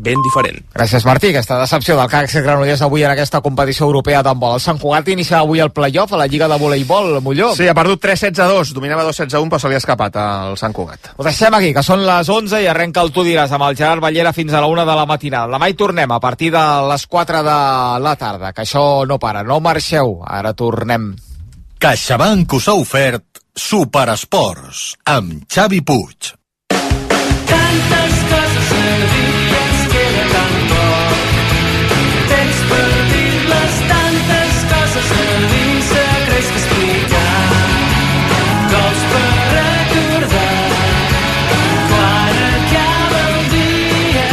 ben diferent. Gràcies, Martí. Aquesta decepció del CAC Granollers avui en aquesta competició europea d'handbol. El Sant Cugat iniciava avui el play-off a la Lliga de voleibol, Molló. Sí, ha perdut 3-16-2, dominava 2-16-1, però se li ha escapat al Sant Cugat. Ho deixem aquí, que són les 11 i arrenca el Tu diràs amb el Gerard Ballera fins a la 1 de la matinada. Demà hi tornem a partir de les 4 de la tarda, que això no para, no marxeu, ara tornem. CaixaBank us ha ofert Superesports amb Xavi Puig. Tantes coses a dir que ens queda tan poc. Temps per dir-les, tantes coses a dir, secrets que explicar, gols per recordar. Quan acaba el dia,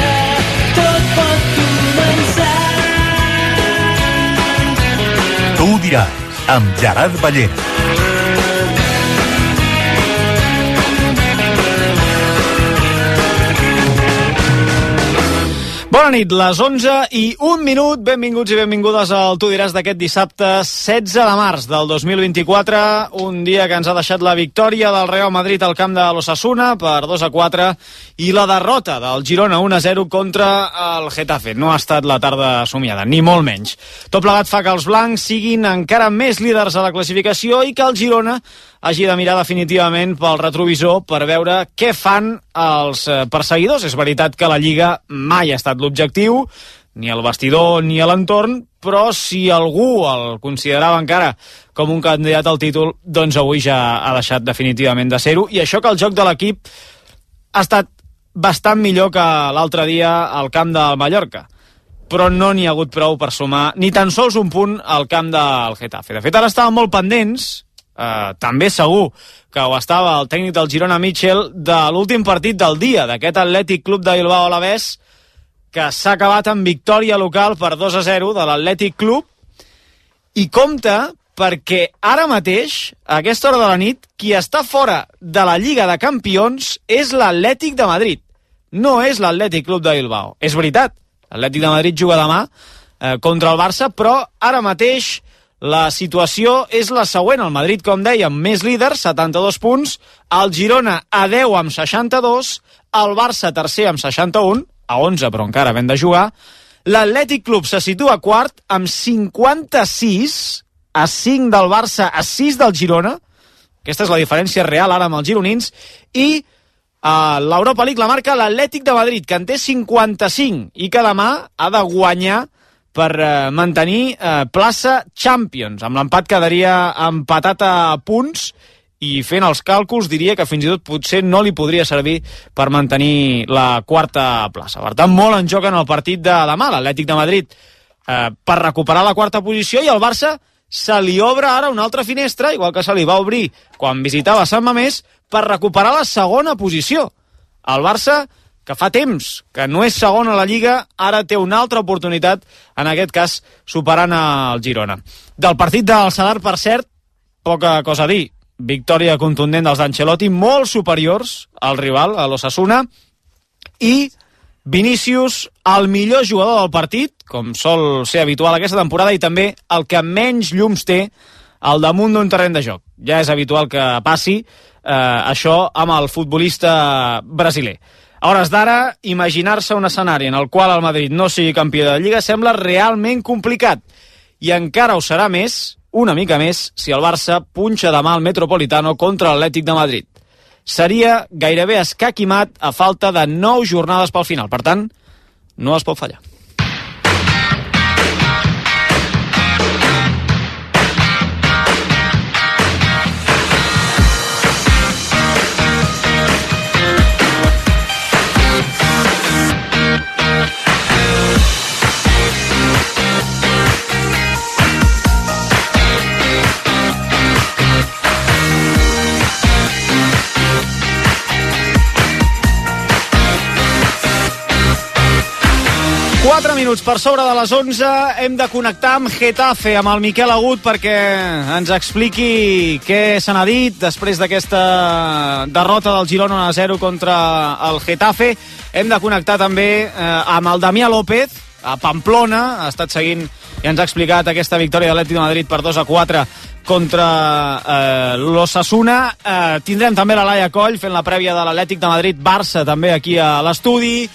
tot pot començar. Tu diràs, amb Gerard Ballera. Bona nit, les 11 i 1 minut. Benvinguts i benvingudes al Tu diràs d'aquest dissabte 16 de març del 2024. Un dia que ens ha deixat la victòria del Real Madrid al camp de l'Osasuna per 2-4 i la derrota del Girona 1-0 contra el Getafe. No ha estat la tarda somiada, ni molt menys. Tot plegat fa que els blancs siguin encara més líders a la classificació i que el Girona hagi de mirar definitivament pel retrovisor per veure què fan els perseguidors. És veritat que la Lliga mai ha estat l'objectiu, ni el vestidor ni a l'entorn, però si algú el considerava encara com un candidat al títol, doncs avui ja ha deixat definitivament de ser-ho, i això que el joc de l'equip ha estat bastant millor que l'altre dia al camp del Mallorca, però no n'hi ha hagut prou per sumar ni tan sols un punt al camp del Getafe. De fet, ara estaven molt pendents, també segur que ho estava el tècnic del Girona, Mitchell, de l'últim partit del dia, d'aquest Atlètic Club de Bilbao Alavés, que s'ha acabat amb victòria local per 2-0 de l'Atlètic Club, i compte perquè ara mateix, a aquesta hora de la nit, qui està fora de la Lliga de Campions és l'Atlètic de Madrid, no és l'Atlètic Club de Bilbao. És veritat, l'Atlètic de Madrid juga demà contra el Barça, però ara mateix la situació és la següent. El Madrid, com dèiem, més líder, 72 punts, el Girona a 10 amb 62, el Barça tercer amb 61, a 11 però encara ben de jugar, l'Atlètic Club se situa quart amb 56, a 5 del Barça, a 6 del Girona, aquesta és la diferència real ara amb els gironins, i l'Europa League la marca l'Atlètic de Madrid, que en té 55 i que demà ha de guanyar per mantenir plaça Champions. Amb l'empat quedaria empatat a punts i fent els càlculs diria que fins i tot potser no li podria servir per mantenir la quarta plaça. Per tant, molt en joc en el partit de demà. L'Atlètic de Madrid per recuperar la quarta posició, i el Barça se li obre ara una altra finestra, igual que se li va obrir quan visitava Sant Mamés, per recuperar la segona posició. El Barça, que fa temps que no és segon a la Lliga, ara té una altra oportunitat, en aquest cas superant el Girona. Del partit del Sadar, per cert, poca cosa a dir. Victòria contundent dels d'Ancelotti, molt superiors al rival, a l'Osasuna, i Vinícius, el millor jugador del partit, com sol ser habitual aquesta temporada, i també el que menys llums té al damunt d'un terreny de joc. Ja és habitual que passi això amb el futbolista brasiler. A hores d'ara, imaginar-se un escenari en el qual el Madrid no sigui campió de Lliga sembla realment complicat, i encara ho serà més, una mica més, si el Barça punxa demà al Metropolitano contra l'Atlètic de Madrid. Seria gairebé escaquimat a falta de 9 jornades pel final. Per tant, no es pot fallar. Minuts per sobre de les 11, hem de connectar amb Getafe, amb el Miquel Agut, perquè ens expliqui què se n'ha dit després d'aquesta derrota del Girona 1-0 contra el Getafe. Hem de connectar també amb el Damià López, a Pamplona, ha estat seguint i ens ha explicat aquesta victòria de l'Atlètic de Madrid per 2-4 contra l'Osasuna. Tindrem també la Laia Coll fent la prèvia de l'Atlètic de Madrid-Barça també aquí a l'estudi.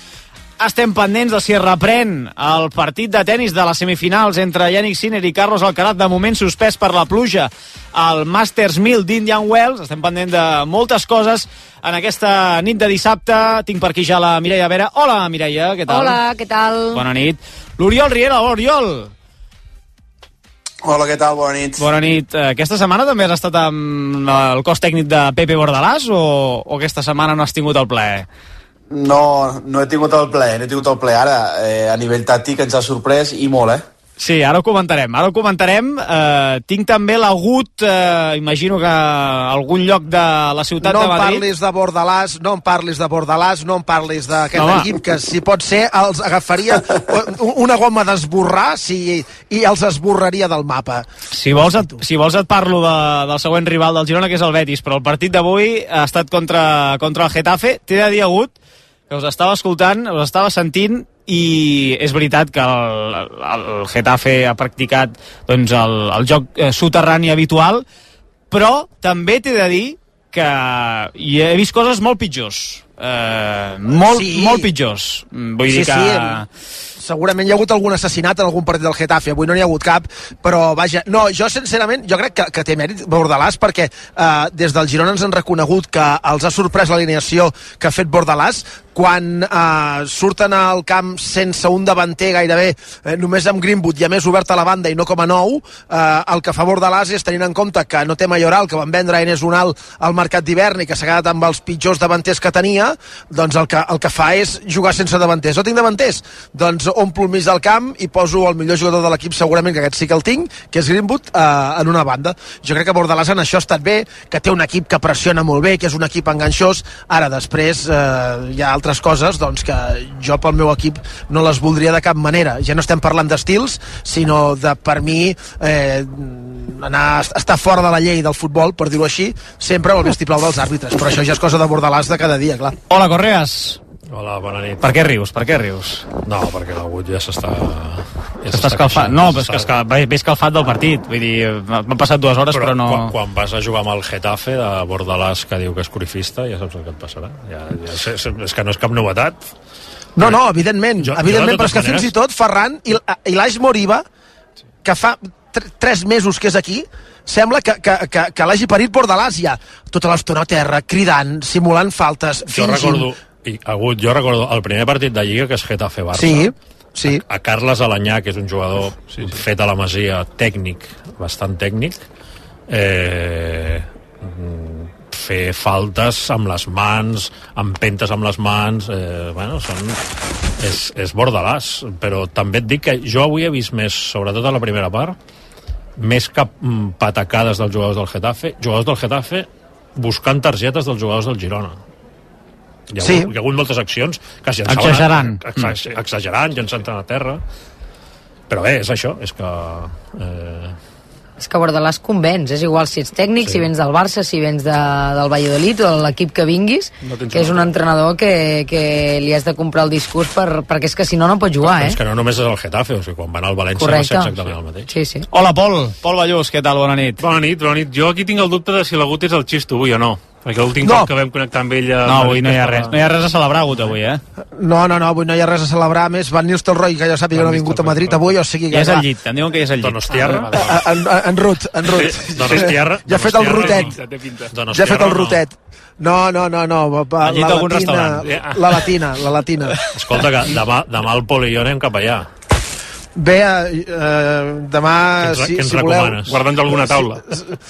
estem pendents de si es reprèn el partit de tennis de les semifinals entre Jannik Sinner i Carlos Alcaraz, de moment suspès per la pluja al Masters 1000 d'Indian Wells. Estem pendents de moltes coses en aquesta nit de dissabte. Tinc per aquí ja la Mireia Vera. Hola, Mireia, què tal? Hola, què tal? Bona nit. L'Oriol Riera, hola, Oriol. Hola, què tal? Bona nit. Bona nit. Aquesta setmana també has estat amb el cos tècnic de Pepe Bordalàs o aquesta setmana no has tingut el plaer? No he tingut el ple. Ara, a nivell tàctic ens ha sorprès i molt, Sí, ara ho comentarem. Tinc també l'Agut, imagino que a algun lloc de la ciutat de Madrid. No em parlis de Bordalàs, no em parlis d'aquest equip, que si pot ser els agafaria una goma d'esborrar i els esborraria del mapa. Si vols et parlo del següent rival del Girona, que és el Betis, però el partit d'avui ha estat contra el Getafe. T'he de dir, Agut, que us estava escoltant, us estava sentint, i és veritat que el Getafe ha practicat doncs, el joc soterrani habitual, però també t'he de dir que hi he vist coses molt pitjors. Molt pitjors. Vull dir que... Segurament hi ha hagut algun assassinat en algun partit del Getafe, avui no n'hi ha hagut cap, però vaja, no, jo sincerament, jo crec que té mèrit Bordalàs, perquè des del Girona ens han reconegut que els ha sorprès l'alineació que ha fet Bordalàs, quan surten al camp sense un davanter gairebé, només amb Greenwood i a més obert a la banda i no com a nou, el que fa Bordalàs és, tenint en compte que no té Mayoral, que van vendre a Enes Unal al mercat d'hivern i que s'ha quedat amb els pitjors davanters que tenia, doncs el que fa és jugar sense davanters. No tinc davanters? Doncs omplo el mig del camp i poso el millor jugador de l'equip, segurament que aquest sí que el tinc, que és Greenwood, en una banda. Jo crec que Bordalàs en això ha estat bé, que té un equip que pressiona molt bé, que és un equip enganxós. Ara després hi ha altres coses doncs, que jo pel meu equip no les voldria de cap manera. Ja no estem parlant d'estils, sinó de, per mi, estar fora de la llei del futbol, per dir-ho així, sempre el vistiplau dels àrbitres. Però això ja és cosa de Bordalàs de cada dia, clar. Hola, Correas. Hola, bona nit. Per què rius? No, perquè l'Agut ja s'està escalfant. No, però és que ve escalfat del partit. Vull dir, m'han passat 2 hores, però no... Quan vas a jugar amb el Getafe de Bordalàs, que diu que és corifista, ja saps el que et passarà. És que no és cap novetat. No, evidentment, però és que fins i tot Ferran i l'Aix Moriba, que fa 3 mesos que és aquí, sembla que l'hagi parit Bordalàs ja. Tota l'estona a terra, cridant, simulant faltes, fingint... Jo recordo el primer partit de Lliga, que és Getafe-Barça. Sí. A Carles Alanyà, que és un jugador fet a la Masia, tècnic, bastant tècnic, fer faltes amb les mans, empentes amb les mans, és Bordalàs. Però també et dic que jo avui he vist més, sobretot a la primera part, més que patacades dels jugadors del Getafe buscant targetes dels jugadors del Girona. Hi ha hagut moltes accions que es llançaven exagerant, llançant a terra, però bé, és això, és que És que Bordalàs convenç, és igual si ets tècnic, si vens del Barça, si vens del Valladolid o de l'equip que vinguis, que és un entrenador que li has de comprar el discurs perquè és que si no pots jugar, És que no només és el Getafe, o sigui, quan va anar al València va ser exactament el mateix. Sí. Hola, Pol Ballús, què tal? Bona nit. Bona nit. Jo aquí tinc el dubte de si l'Agut és el Xisto avui o no. Perquè l'últim cop que vam connectar amb ell... No, avui no hi ha res. No hi ha res a celebrar, Agut, avui, No, avui no hi ha res a celebrar. A més, Van Nistelrooy, que jo sàpiga, no ha vingut a Madrid avui, o sigui... Ja és al llit, em diuen que ja és al llit. Donostiarra? En Rut. Donostiarra? Ja ha fet el rotet. Ja ha fet el rotet. No. Al llit d'algun restaurant. La Latina. Escolta, que demà el Pol i jo anem cap allà. Bé, demà, si voleu... Guardant alguna taula.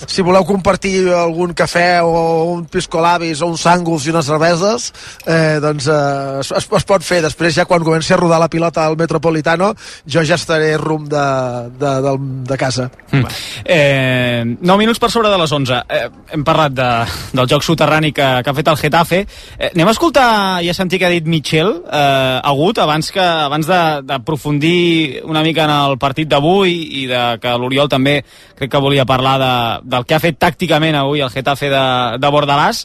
Si voleu compartir algun cafè o un piscolabis o un sàngols i unes cerveses, doncs es pot fer. Després, ja quan comenci a rodar la pilota al Metropolitano, jo ja estaré rumb de casa. 9 minuts per sobre de les 11. Hem parlat del joc soterrani que ha fet el Getafe. Anem a escoltar i a sentir què ha dit Michel Agut abans d'aprofundir una mica en el partit d'avui i que l'Oriol també crec que volia parlar del que ha fet tàcticament avui el Getafe de Bordalàs.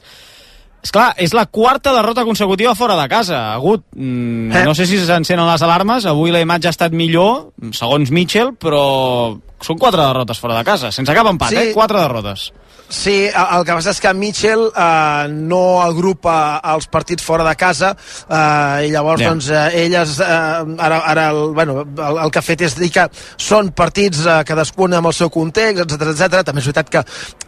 Esclar, és la 4ª derrota consecutiva fora de casa, Agut. No sé si s'encenen les alarmes, avui la imatge ha estat millor, segons Michel, però són 4 derrotes fora de casa, sense cap empat, 4 derrotes. Sí, el que passa és que Mitchell no agrupa els partits fora de casa i llavors doncs ell ara el que ha fet és dir que són partits cadascun amb el seu context, etc. També és veritat que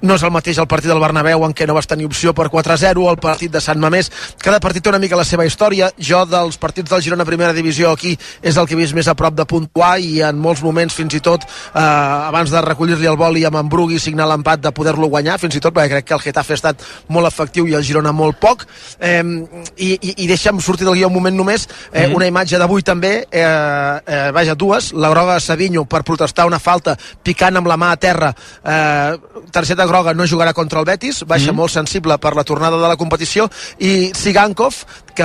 no és el mateix el partit del Bernabéu en què no vas tenir opció per 4-0, el partit de Sant Mamés, cada partit té una mica la seva història. Jo dels partits del Girona Primera Divisió aquí és el que he vist més a prop de puntuar i en molts moments fins i tot abans de recollir-li el boli amb en Brugui signar l'empat de poder-lo guanyar, fins i tot perquè crec que el Getafe ha estat molt efectiu i el Girona molt poc, i deixa'm sortir del guió un moment només, una imatge d'avui també, dues, la groga a Savinho per protestar una falta picant amb la mà a terra, targeta groga, no jugarà contra el Betis, baixa molt sensible per la tornada de la competició, i Sigankov, que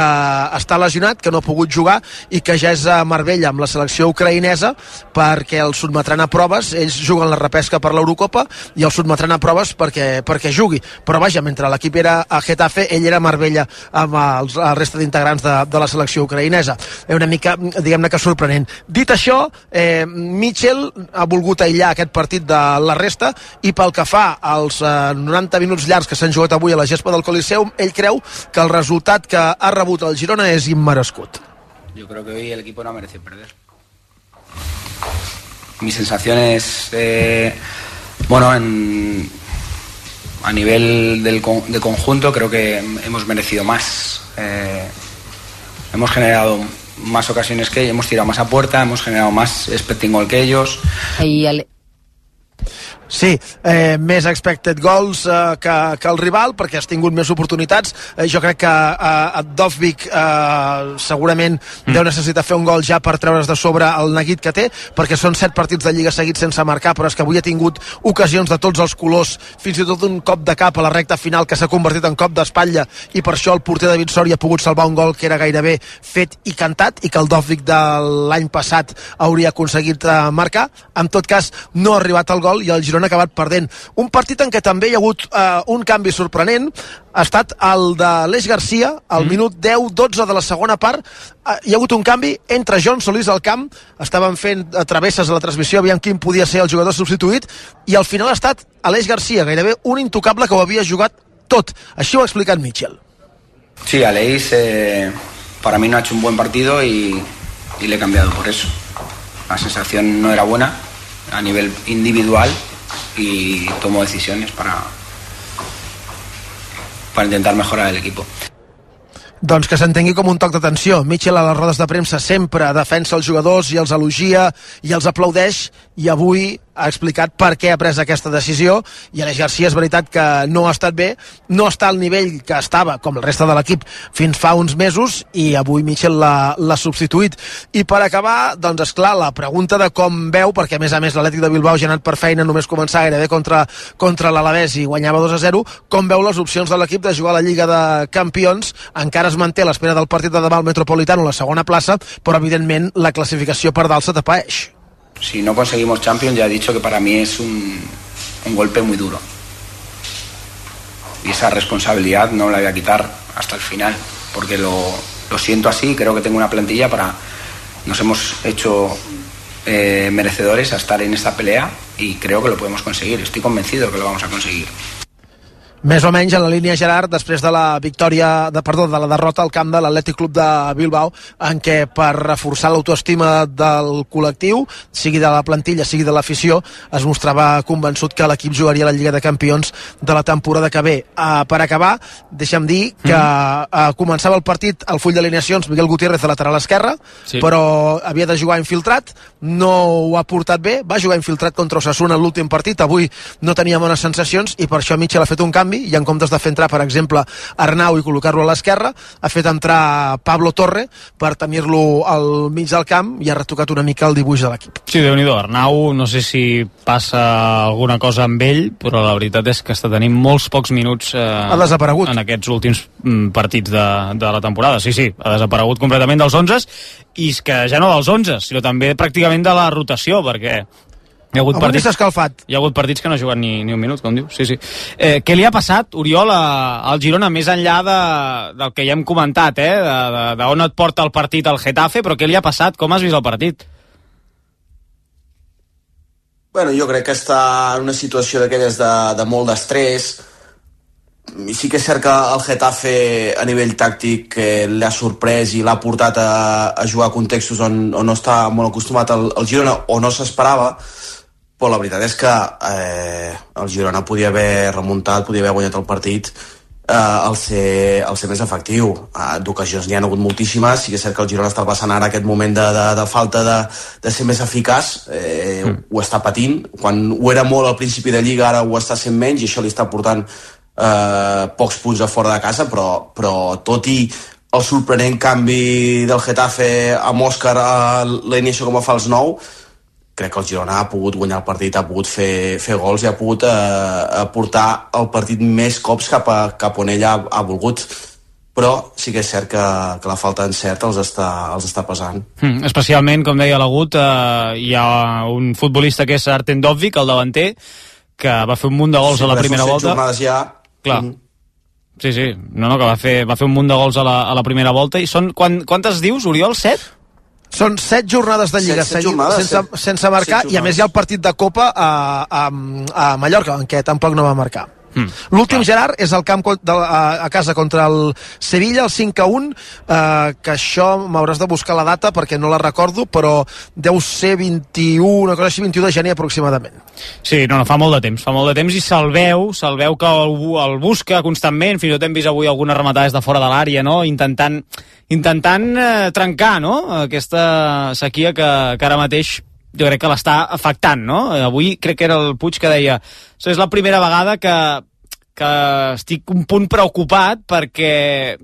està lesionat, que no ha pogut jugar i que ja és a Marbella amb la selecció ucraïnesa perquè el sotmetran a proves. Ells juguen la repesca per l'Eurocopa i el sotmetran a proves perquè jugui, però vaja, mentre l'equip era a Getafe, ell era a Marbella amb la resta d'integrants de la selecció ucraïnesa. Una mica, diguem-ne que sorprenent. Dit això, Mitchell ha volgut aïllar aquest partit de la resta i pel que fa als 90 minuts llargs que s'han jugat avui a la gespa del Coliseum, ell creu que el resultat que ha rebut el Girona és immerescut. Yo creo que hoy el equipo no ha merecido perder. Mi sensación es, a nivel de conjunto creo que hemos merecido más. Hemos generado más ocasiones que ellos, hemos tirado más a puerta, hemos generado más expecting goal que ellos. Sí, més expected goals que el rival, perquè has tingut més oportunitats. Jo crec que Dovbyk segurament deu necessitar fer un gol ja per treure's de sobre el neguit que té, perquè són 7 partits de Lliga seguits sense marcar, però és que avui ha tingut ocasions de tots els colors, fins i tot un cop de cap a la recta final que s'ha convertit en cop d'espatlla, i per això el porter David Soria ha pogut salvar un gol que era gairebé fet i cantat, i que el Dovbyk de l'any passat hauria aconseguit marcar. En tot cas, no ha arribat al gol i el Girona ha acabat perdent. Un partit en què també hi ha hagut un canvi sorprenent ha estat el de l'Eix Garcia al minut 10-12 de la segona part. Hi ha hagut un canvi, entre John Solís al camp, estaven fent travesses a la transmissió, aviam quin podia ser el jugador substituït, i al final ha estat l'Eix Garcia, gairebé un intocable que ho havia jugat tot. Així ho ha explicat Mitchell. Sí, Aleix para mí no ha hecho un buen partido y le he cambiado por eso. La sensación no era buena a nivel individual y tomo decisiones para intentar mejorar el equipo. Doncs que s'entengui com un toc d'atenció. Mitchell a les rodes de premsa sempre defensa els jugadors i els elogia i els aplaudeix, i avui ha explicat per què ha pres aquesta decisió. I Aleix Garcia és veritat que no ha estat bé, no està al nivell que estava, com el resta de l'equip, fins fa uns mesos, i avui Mitchell l'ha substituït. I per acabar, doncs esclar, la pregunta de com veu, perquè a més l'Atlètic de Bilbao ja ha anat per feina, només començar gairebé contra l'Alavés i guanyava 2-0, com veu les opcions de l'equip de jugar a la Lliga de Campions. Encara es manté a l'espera del partit de demà al Metropolitano, la segona plaça, però evidentment la classificació per dalt se tapaeix. Si no conseguimos Champions, ya he dicho que para mí es un golpe muy duro. Y esa responsabilidad no la voy a quitar hasta el final, porque lo siento así. Creo que tengo una plantilla nos hemos hecho merecedores a estar en esta pelea y creo que lo podemos conseguir. Estoy convencido que lo vamos a conseguir. Més o menys en la línia, Gerard, després de la derrota al camp de l'Atlètic Club de Bilbao, en què per reforçar l'autoestima del col·lectiu, sigui de la plantilla, sigui de l'afició, es mostrava convençut que l'equip jugaria a la Lliga de Campions de la temporada que ve. Per acabar, deixa'm dir que començava el partit al full d'alineacions Miguel Gutiérrez de lateral esquerre, però havia de jugar infiltrat, no ho ha portat bé, va jugar infiltrat contra Osasuna en l'últim partit, avui no tenia bones sensacions i per això Mitchell ha fet un canvi, i en comptes de fer entrar, per exemple, Arnau i col·locar-lo a l'esquerra, ha fet entrar Pablo Torre per tenir-lo al mig del camp i ha retocat una mica el dibuix de l'equip. Sí, Déu-n'hi-do, Arnau, no sé si passa alguna cosa amb ell, però la veritat és que està tenint molts pocs minuts ha desaparegut en aquests últims partits de la temporada. Sí, ha desaparegut completament dels 11, i és que ja no dels 11, sinó també pràcticament de la rotació, perquè hi ha hagut partits que no ha jugat ni un minut, com diu. Sí. Què li ha passat, Oriol, al Girona, més enllà del que ja hem comentat, d'on et porta el partit al Getafe, però què li ha passat? Com has vist el partit? Bueno, jo crec que està en una situació d'aquelles de molt d'estrès. I sí que és cert que el Getafe a nivell tàctic l'ha sorprès i l'ha portat a jugar a contextos on no està molt acostumat el Girona o no s'esperava, però la veritat és que el Girona podia haver remuntat, podia haver guanyat el partit al ser més efectiu. D'ocasions n'hi ha hagut moltíssimes. Sí que és cert que el Girona està passant ara aquest moment de falta de ser més eficaç, ho està patint. Quan ho era molt al principi de Lliga, ara ho està sent menys i això li està portant pocs punts a fora de casa, però tot i el sorprenent canvi del Getafe amb Òscar a l'inici com a fals 9, crec que el Girona ha pogut guanyar el partit, ha pogut fer gols i ha pogut portar el partit més cops cap on ella ha volgut. Però sí que és cert que la falta d'encert els està pesant. Especialment, com deia l'Agut, hi ha un futbolista que és Artem Dovvik, el davanter, que va fer un munt de gols a la primera volta. Ja. Clar. Sí, no, que va fer un munt de gols a la primera volta. I són, quantes dius, Oriol? 7? Són 7 jornades de Lliga sense marcar, i a més hi ha el partit de Copa a Mallorca, en què tampoc no va marcar. L'últim, Gerard, és el camp a casa contra el Sevilla, el 5-1, que això m'hauràs de buscar la data perquè no la recordo, però deu ser 21, una cosa així, 21 de gener aproximadament. Sí, no, fa molt de temps i se'l veu que el busca constantment. Fins i tot hem vist avui algunes rematades de fora de l'àrea, no? intentant trencar, no?, aquesta sequia que ara mateix jo crec que l'està afectant, no? Avui crec que era el Puig que deia és la primera vegada que estic un punt preocupat perquè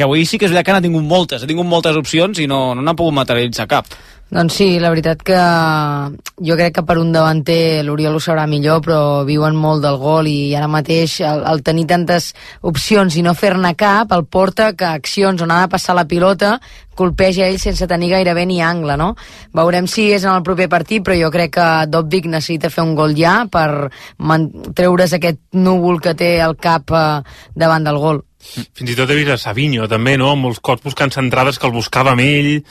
avui sí que és veritat que n'ha tingut moltes opcions i no n'ha pogut materialitzar cap. Doncs sí, la veritat que jo crec que per un davanter l'Oriol ho sabrà millor, però viuen molt del gol i ara mateix el tenir tantes opcions i no fer-ne cap el porta que accions on ha de passar la pilota colpeja ell sense tenir gairebé ni angle, no? Veurem si és en el proper partit, però jo crec que Dovvik necessita fer un gol ja per treure's aquest núvol que té al cap davant del gol. Fins i tot he vist a Savinho també, no?, amb molts cops buscant centrades que el buscava amb ell,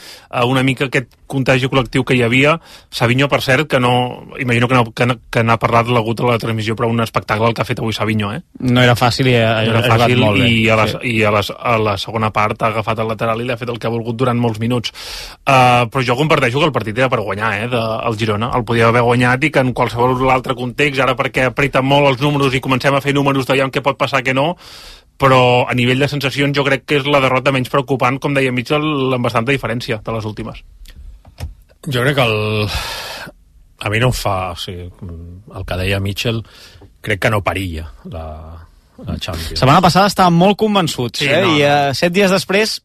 una mica aquest contagi col·lectiu que hi havia. Savinho, per cert, que no, imagino que n'ha parlat l'Agut a la transmissió, però un espectacle el que ha fet avui Savinho, No era fàcil i ha jugat molt bé. I a la segona part ha agafat el lateral i l'ha fet el que ha volgut durant molts minuts. Però jo comparteixo que el partit era per guanyar, del Girona. El podia haver guanyat i que en qualsevol altre context, ara perquè apreten molt els números i comencem a fer números d'aviam què pot passar, què no, però a nivell de sensacions jo crec que és la derrota menys preocupant, com deia Mitchell, amb bastanta diferència de les últimes. Jo crec que a mi no em fa, o sigui, el que deia Mitchell, crec que no perilla la Champions. Setmana passada estàvem molt convençuts, i 7 dies després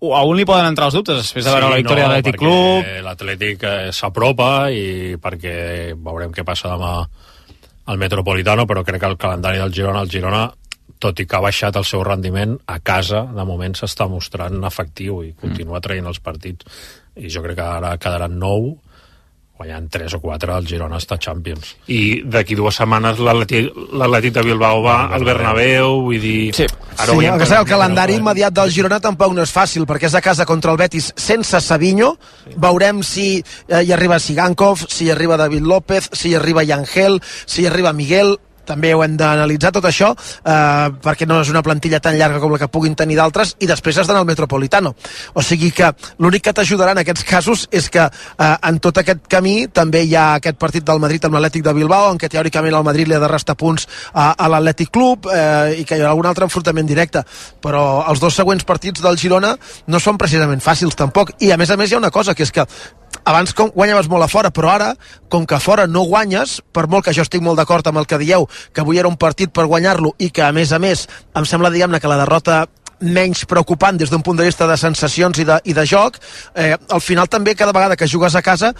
a un li poden entrar els dubtes després de veure la victòria de l'Atlètic Club. L'Atlètic s'apropa i perquè veurem què passa demà al Metropolitano, però crec que el calendari del Girona, tot i que ha baixat el seu rendiment, a casa de moment s'està mostrant efectiu i continua traient els partits, i jo crec que ara quedaran 9, guanyant 3 o 4 el Girona està Champions. I d'aquí 2 setmanes l'Atlètic de Bilbao va al Bernabéu, vull dir... Sí, el calendari immediat del Girona tampoc no és fàcil, perquè és a casa contra el Betis sense Savinho. Veurem si hi arriba Sigankov, si hi arriba David López, si hi arriba Yangel, si hi arriba Miguel. També ho hem d'analitzar tot això, perquè no és una plantilla tan llarga com la que puguin tenir d'altres, i després has d'anar al Metropolitano. O sigui que l'únic que t'ajudarà en aquests casos és que en tot aquest camí també hi ha aquest partit del Madrid amb l'Atlètic de Bilbao, en què teòricament el Madrid li ha de restar punts a l'Atlètic Club, i que hi ha algun altre enfrontament directe. Però els 2 següents partits del Girona no són precisament fàcils tampoc, i a més hi ha una cosa, que és que abans guanyaves molt a fora, però ara, com que a fora no guanyes, per molt que jo estic molt d'acord amb el que dieu, que avui era un partit per guanyar-lo i que, a més, em sembla, diguem-ne, que la derrota menys preocupant des d'un punt de vista de sensacions i de joc, al final també cada vegada que jugues a casa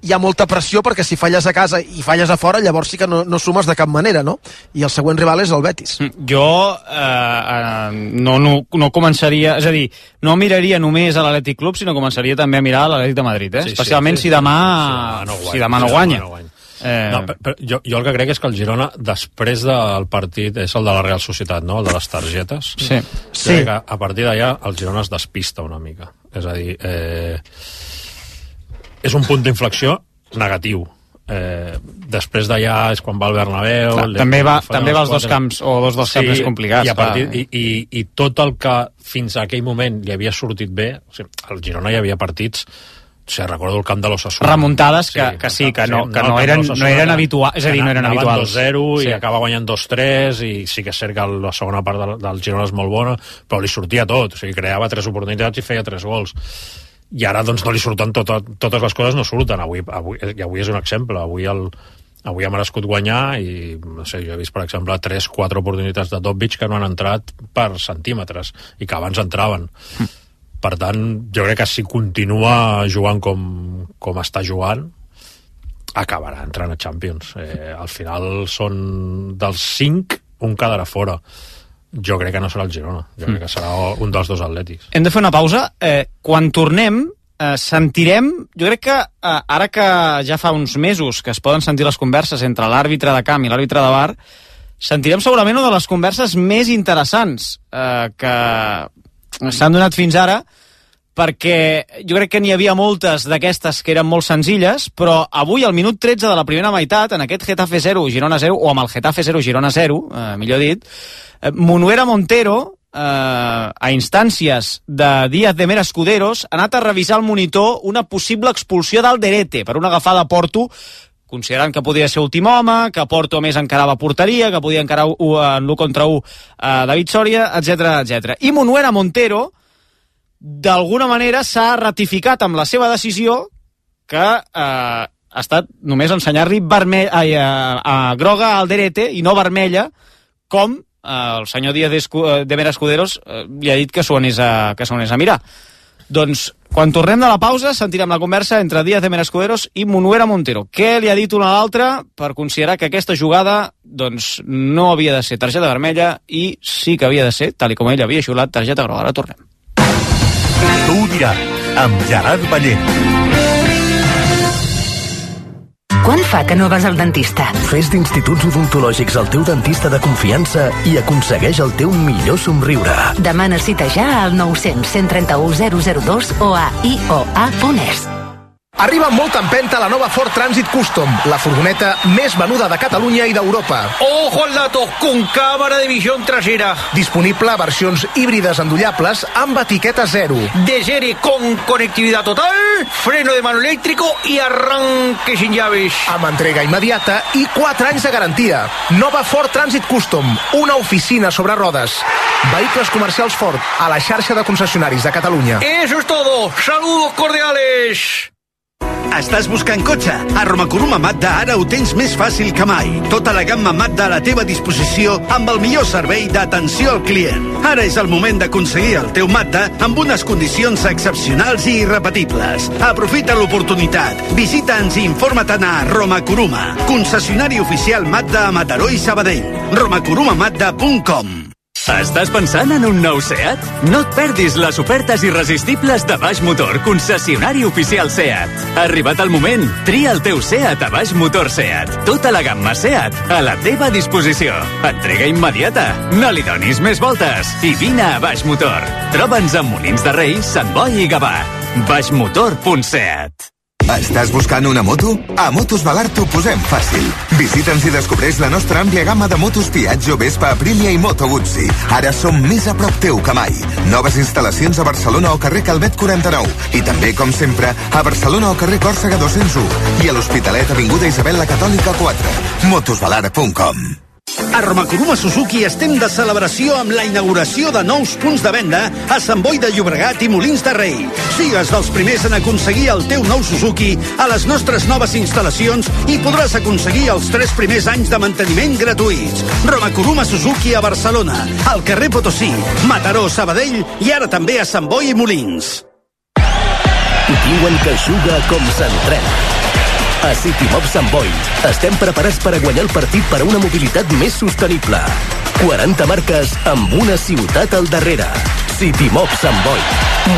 hi ha molta pressió, perquè si falles a casa i falles a fora, llavors sí que no sumes de cap manera, no? I el següent rival és el Betis. Jo no començaria, és a dir, no miraria només a l'Atlètic Club, sinó començaria també a mirar a l'Atlètic de Madrid, especialment si demà no guanya. Però jo el que crec és que el Girona, després del partit, és el de la Real Societat, no?, el de les targetes. Sí. Crec que a partir d'allà el Girona es despista una mica. És a dir, és un punt d'inflexió negatiu. després d'allà és quan va al Bernabéu. Clar, també va als dos camps, o dos dels camps més complicats. I tot el que fins a aquell moment li havia sortit bé, o sigui, al Girona hi havia partits, recordo el camp de l'Osasuna. Remuntades que no eren habituals, és a dir, no eren habituals. 2-0 i acaba guanyant 2-3, i sí que és cert que la segona part del Girona és molt bona, però li sortia tot, o sigui, creava 3 oportunitats i feia 3 gols. I ara doncs no li surten totes les coses, no surten. Avui és un exemple. Avui ha merescut guanyar i no sé, jo he vist, per exemple, 3-4 oportunitats de Dobbich que no han entrat per centímetres i que abans entraven. Per tant, jo crec que si continua jugant com està jugant, acabarà entrant a Champions. Al final són dels 5, un quedarà fora. Jo crec que no serà el Girona, jo crec que serà un dels dos Atlètics. Hem de fer una pausa. Quan tornem, sentirem, jo crec que ara que ja fa uns mesos que es poden sentir les converses entre l'àrbitre de camp i l'àrbitre de VAR, sentirem segurament una de les converses més interessants que s'han donat fins ara, perquè jo crec que n'hi havia moltes d'aquestes que eren molt senzilles, però avui, al minut 13 de la primera meitat, en aquest Getafe 0, Girona 0, o amb el Getafe 0, Girona 0, millor dit, Munuera Montero, a instàncies de Díaz de Mera Escuderos, ha anat a revisar al monitor una possible expulsió d'Alderete per una agafada a Porto, considerant que podia ser últim home, que Porto més encarava porteria, que podia encarar en l'1 contra 1 David Soria, etc. I Munuera Montero, d'alguna manera, s'ha ratificat amb la seva decisió que ha estat només ensenyar-li groga a Alderete i no vermella, com el senyor Díaz de Mera Escuderos li ha dit que s'ho anés a mirar. Doncs, quan tornem de la pausa, sentirem la conversa entre Díaz de Mera Escuderos i Munuera Montero. Què li ha dit una a l'altra per considerar que aquesta jugada doncs, no havia de ser targeta vermella i sí que havia de ser, tal com ell havia xiulat, targeta groga. Ara tornem. Tu ho diràs, amb Gerard Ballent. Quan fa que no vas al dentista? Fes d'Instituts Odontològics el teu dentista de confiança i aconsegueix el teu millor somriure. Demana cita ja al 900 131 002 o a ioa.es. Arriba amb molta empenta la nova Ford Transit Custom, la furgoneta més venuda de Catalunya i d'Europa. ¡Ojo al dato! Con cámara de visión trasera. Disponible a versions híbrides endollables amb etiqueta 0. De serie con conectividad total, freno de mano eléctrico y arranque sin llaves. Amb entrega immediata i 4 anys de garantia. Nova Ford Transit Custom, una oficina sobre rodes. Vehicles comercials Ford, a la xarxa de concessionaris de Catalunya. Eso es todo. Saludos cordiales. Estàs buscant cotxe? A Romacuruma Mazda ara ho tens més fàcil que mai. Tota la gamma Mazda a la teva disposició amb el millor servei d'atenció al client. Ara és el moment d'aconseguir el teu Mazda amb unes condicions excepcionals i irrepetibles. Aprofita l'oportunitat. Visita'ns i informa-te'n a Romacuruma, concessionari oficial Mazda a Mataró i Sabadell. romacurumamazda.com. Estàs pensant en un nou SEAT? No et perdis les ofertes irresistibles de Baix Motor, concessionari oficial SEAT. Ha arribat el moment. Tria el teu SEAT a Baix Motor SEAT. Tota la gamma SEAT a la teva disposició. Entrega immediata. No li donis més voltes. I vine a Baix Motor. Troba'ns a Molins de Rei, Sant Boi i Gavà. baixmotor.seat. Estàs buscant una moto? A Motos Valar t'ho posem fàcil. Visita'ns i descobreix la nostra àmplia gamma de motos Piaggio, Vespa, Aprilia i Moto Guzzi. Ara som més a prop teu que mai. Noves instal·lacions a Barcelona o carrer Calvet 49. I també, com sempre, a Barcelona o carrer Còrsega 201. I a l'Hospitalet, avinguda Isabel la Catòlica 4. motosvalar.com. A Romacuruma Suzuki estem de celebració amb la inauguració de nous punts de venda a Sant Boi de Llobregat i Molins de Rei. Sigues dels primers en aconseguir el teu nou Suzuki a les nostres noves instal·lacions i podràs aconseguir els 3 primers anys de manteniment gratuïts. Romacuruma Suzuki a Barcelona, al carrer Potosí, Mataró, Sabadell i ara també a Sant Boi i Molins. Diuen que juga com s'entrena. A CityMob Sant Boi estem preparats per a guanyar el partit per a una mobilitat més sostenible. 40 marques amb una ciutat al darrere. CityMob Sant Boi,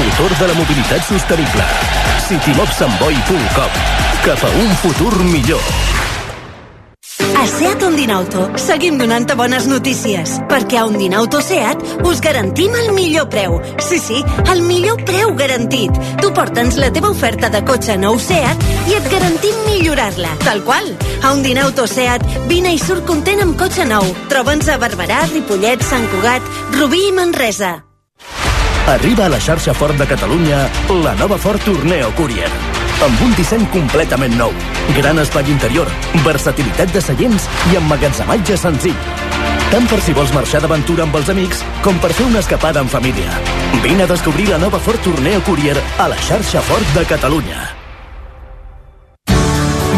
motor de la mobilitat sostenible. CityMobSantBoi.com. Cap a un futur millor. A SEAT Ondinauto seguim donant-te bones notícies, perquè a Ondinauto SEAT us garantim el millor preu. Sí, el millor preu garantit. Tu porta'ns la teva oferta de cotxe nou SEAT i et garantim millorar-la, tal qual. A Ondinauto SEAT, vine i surt content amb cotxe nou. Troba'ns a Barberà, Ripollet, Sant Cugat, Rubí i Manresa. Arriba a la xarxa Ford de Catalunya la nova Ford Tourneo Courier. Amb un disseny completament nou, gran espai interior, versatilitat de seients i emmagatzematge senzill. Tant per si vols marxar d'aventura amb els amics com per fer una escapada en família. Vine a descobrir la nova Ford Tourneo Courier a la xarxa Ford de Catalunya.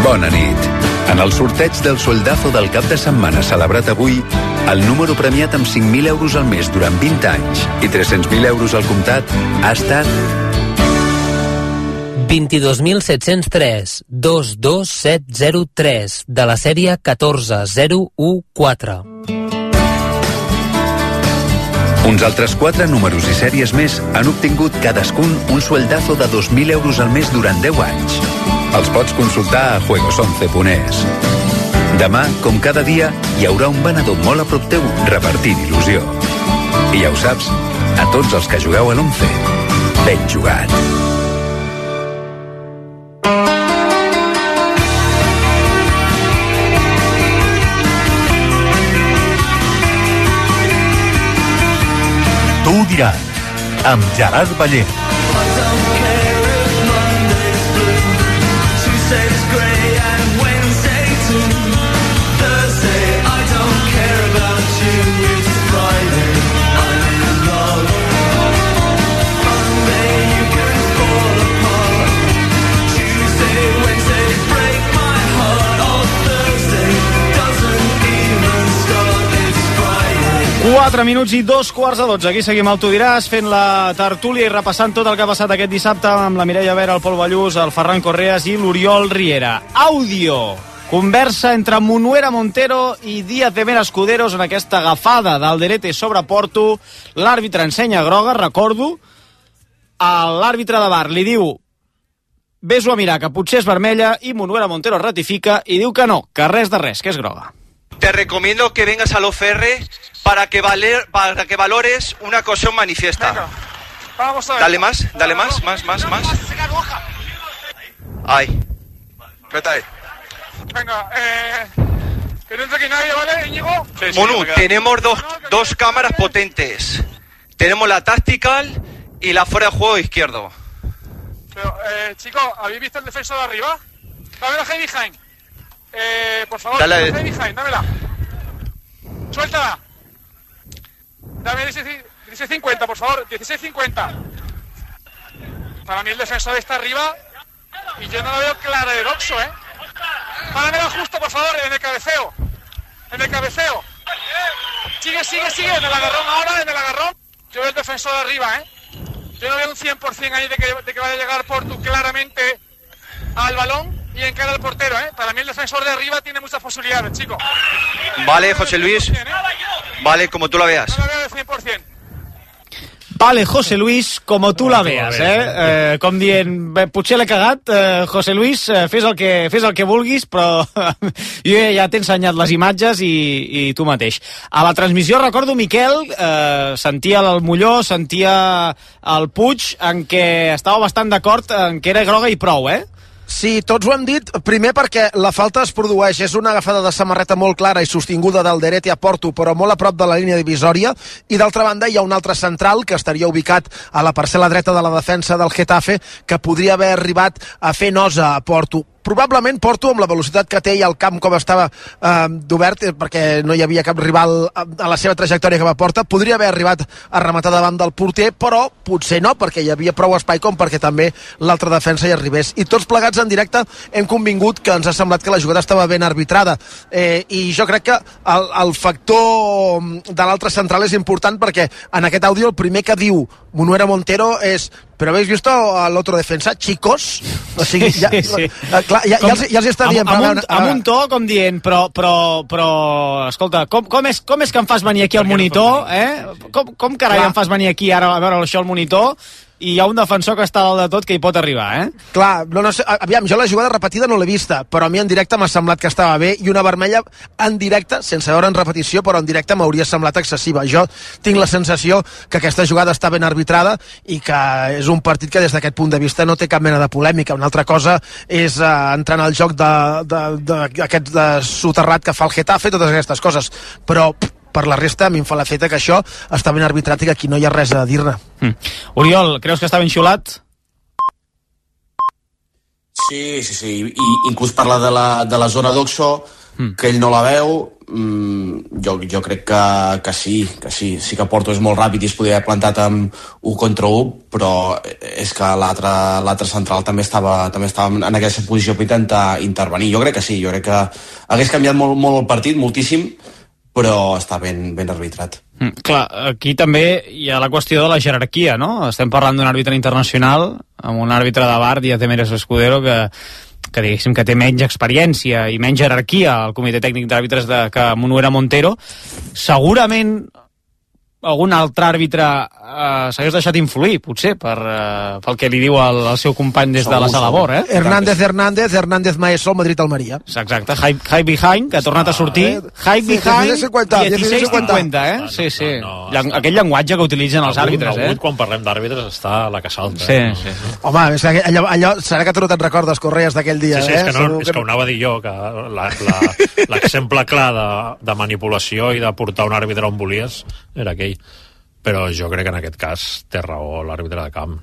Bona nit. En el sorteig del sueldazo del cap de setmana celebrat avui, el número premiat amb 5.000 euros al mes durant 20 anys i 300.000 euros al comptat ha estat 22.703 22703 de la sèrie 14014. Uns altres 4 números i sèries més han obtingut cadascun un sueldazo de 2.000 euros al mes durant 10 anys. Els pots consultar a juegos11.es. Demà, com cada dia, hi haurà un venedor molt a prop teu repartint il·lusió. I ja ho saps, a tots els que jugueu a l'11, ben jugat. Tu ho diràs, amb Gerard Ballén. Quatre minuts i 2:15. Aquí seguim al Tu diràs, fent la tertúlia i repassant tot el que ha passat aquest dissabte amb la Mireia Vera, el Pol Ballús, el Ferran Correas i l'Oriol Riera. Àudio. Conversa entre Munuera Montero i Díaz de Mera Escuderos en aquesta agafada d'Alderete sobre Porto. L'àrbitre ensenya groga, recordo. L'àrbitre de VAR li diu ves-ho a mirar, que potser és vermella, i Munuera Montero ratifica i diu que no, que res de res, que és groga. Te recomiendo que vengas a l'OFR para que valores una cuestión manifiesta. Venga, vamos a ver. Dale más. Ay. Vete ahí. Venga, que no entre aquí nadie, ¿vale, Íñigo? Monu, tenemos dos cámaras potentes. Tenemos la tactical y la fuera de juego izquierdo. Pero, chicos, ¿habéis visto el defensor de arriba? Dame la heavy behind. Por favor, dale. La heavy behind, dámela. Suéltala. Dame 16.50, por favor, 16.50. Para mí el defensor está arriba y yo no lo veo clara de Doxo, ¿eh? Páramela justo, por favor, en el cabeceo. Sigue, en el agarrón ahora, en el agarrón. Yo veo el defensor de arriba, ¿eh? Yo no veo un 100% ahí de que vaya a llegar Portu claramente al balón y encara al portero, ¿eh? Para mí el defensor de arriba tiene muchas posibilidades, chicos. Vale, José Luis. Vale, como tú la veas. No la veo de 100%. Vale, José Luis, com tu la veas, com dient, potser l'he cagat, José Luis, fes el que vulguis, però jo ja t'he ensenyat les imatges i tu mateix. A la transmissió, recordo, Miquel, sentia el Molló, sentia el Puig, en què estava bastant d'acord en què era groga i prou, Sí, tots ho hem dit, primer perquè la falta es produeix, és una agafada de samarreta molt clara i sostinguda d'Alderete a Porto, però molt a prop de la línia divisòria, i d'altra banda hi ha un altre central que estaria ubicat a la parcel·la dreta de la defensa del Getafe, que podria haver arribat a fer nosa a Porto. Probablement Porto, amb la velocitat que té i el camp com estava d'obert, perquè no hi havia cap rival a la seva trajectòria que va porta, podria haver arribat a rematar davant del porter, però potser no, perquè hi havia prou espai com perquè també l'altra defensa hi arribés. I tots plegats en directe hem convingut que ens ha semblat que la jugada estava ben arbitrada. I jo crec que el factor de l'altre central és important, perquè en aquest àudio el primer que diu Munuera Montero és però habéis visto al otro defensa, chicos? O sigui, ja els està dient... Amb un to, com dient, però escolta, com és que em fas venir aquí al monitor, Com carai em fas venir aquí ara a veure això al monitor? i hi ha un defensor que està dalt de tot que hi pot arribar, Clar, no sé, aviam, jo la jugada repetida no l'he vista, però a mi en directe m'ha semblat que estava bé, i una vermella en directe, sense veure en repetició, però en directe m'hauria semblat excessiva. Jo tinc la sensació que aquesta jugada està ben arbitrada i que és un partit que des d'aquest punt de vista no té cap mena de polèmica. Una altra cosa és entrar en el joc d'aquest soterrat que fa el Getafe, totes aquestes coses, però per la resta a mi em fa l'efecte que això està ben arbitrat i que aquí no hi ha res a dir-ne. Oriol, creus que està ben xiulat? Sí, i inclús parla de la zona d'Oxo, que ell no la veu. Jo crec que sí que Porto és molt ràpid i es podria haver plantat amb 1 contra 1, però és que l'altre central també estava en aquesta posició per intentar intervenir. Jo crec que sí, jo crec que hagués canviat molt el partit, moltíssim, però està ben arbitrat. Clar, aquí també hi ha la qüestió de la jerarquia, no? Estem parlant d'un àrbitre internacional, amb un àrbitre de VAR, Díaz de Mérez Escudero, que diguéssim que té menys experiència i menys jerarquia al comitè tècnic d'àrbitres que Munuera Montero. Segurament algun altre àrbitre s'hagués deixat influir, potser, pel que li diu el seu company des de la sala Bor, Hernández Maeso, Madrid-Almeria. Exacte, High Behind, que ha tornat a sortir. High Behind, 16-50, Sí. Aquell llenguatge que utilitzen els àrbitres, Avui, quan parlem d'àrbitres, està a la que salta. Sí. Home, és que allò serà que tu no te'n recordes, Correas, d'aquell dia, Sí, és que ho anava a dir jo, que l'exemple clar de manipulació i de portar un àrbitre on volies era aquell. Però jo crec que en aquest cas té raó l'àrbitre de camp.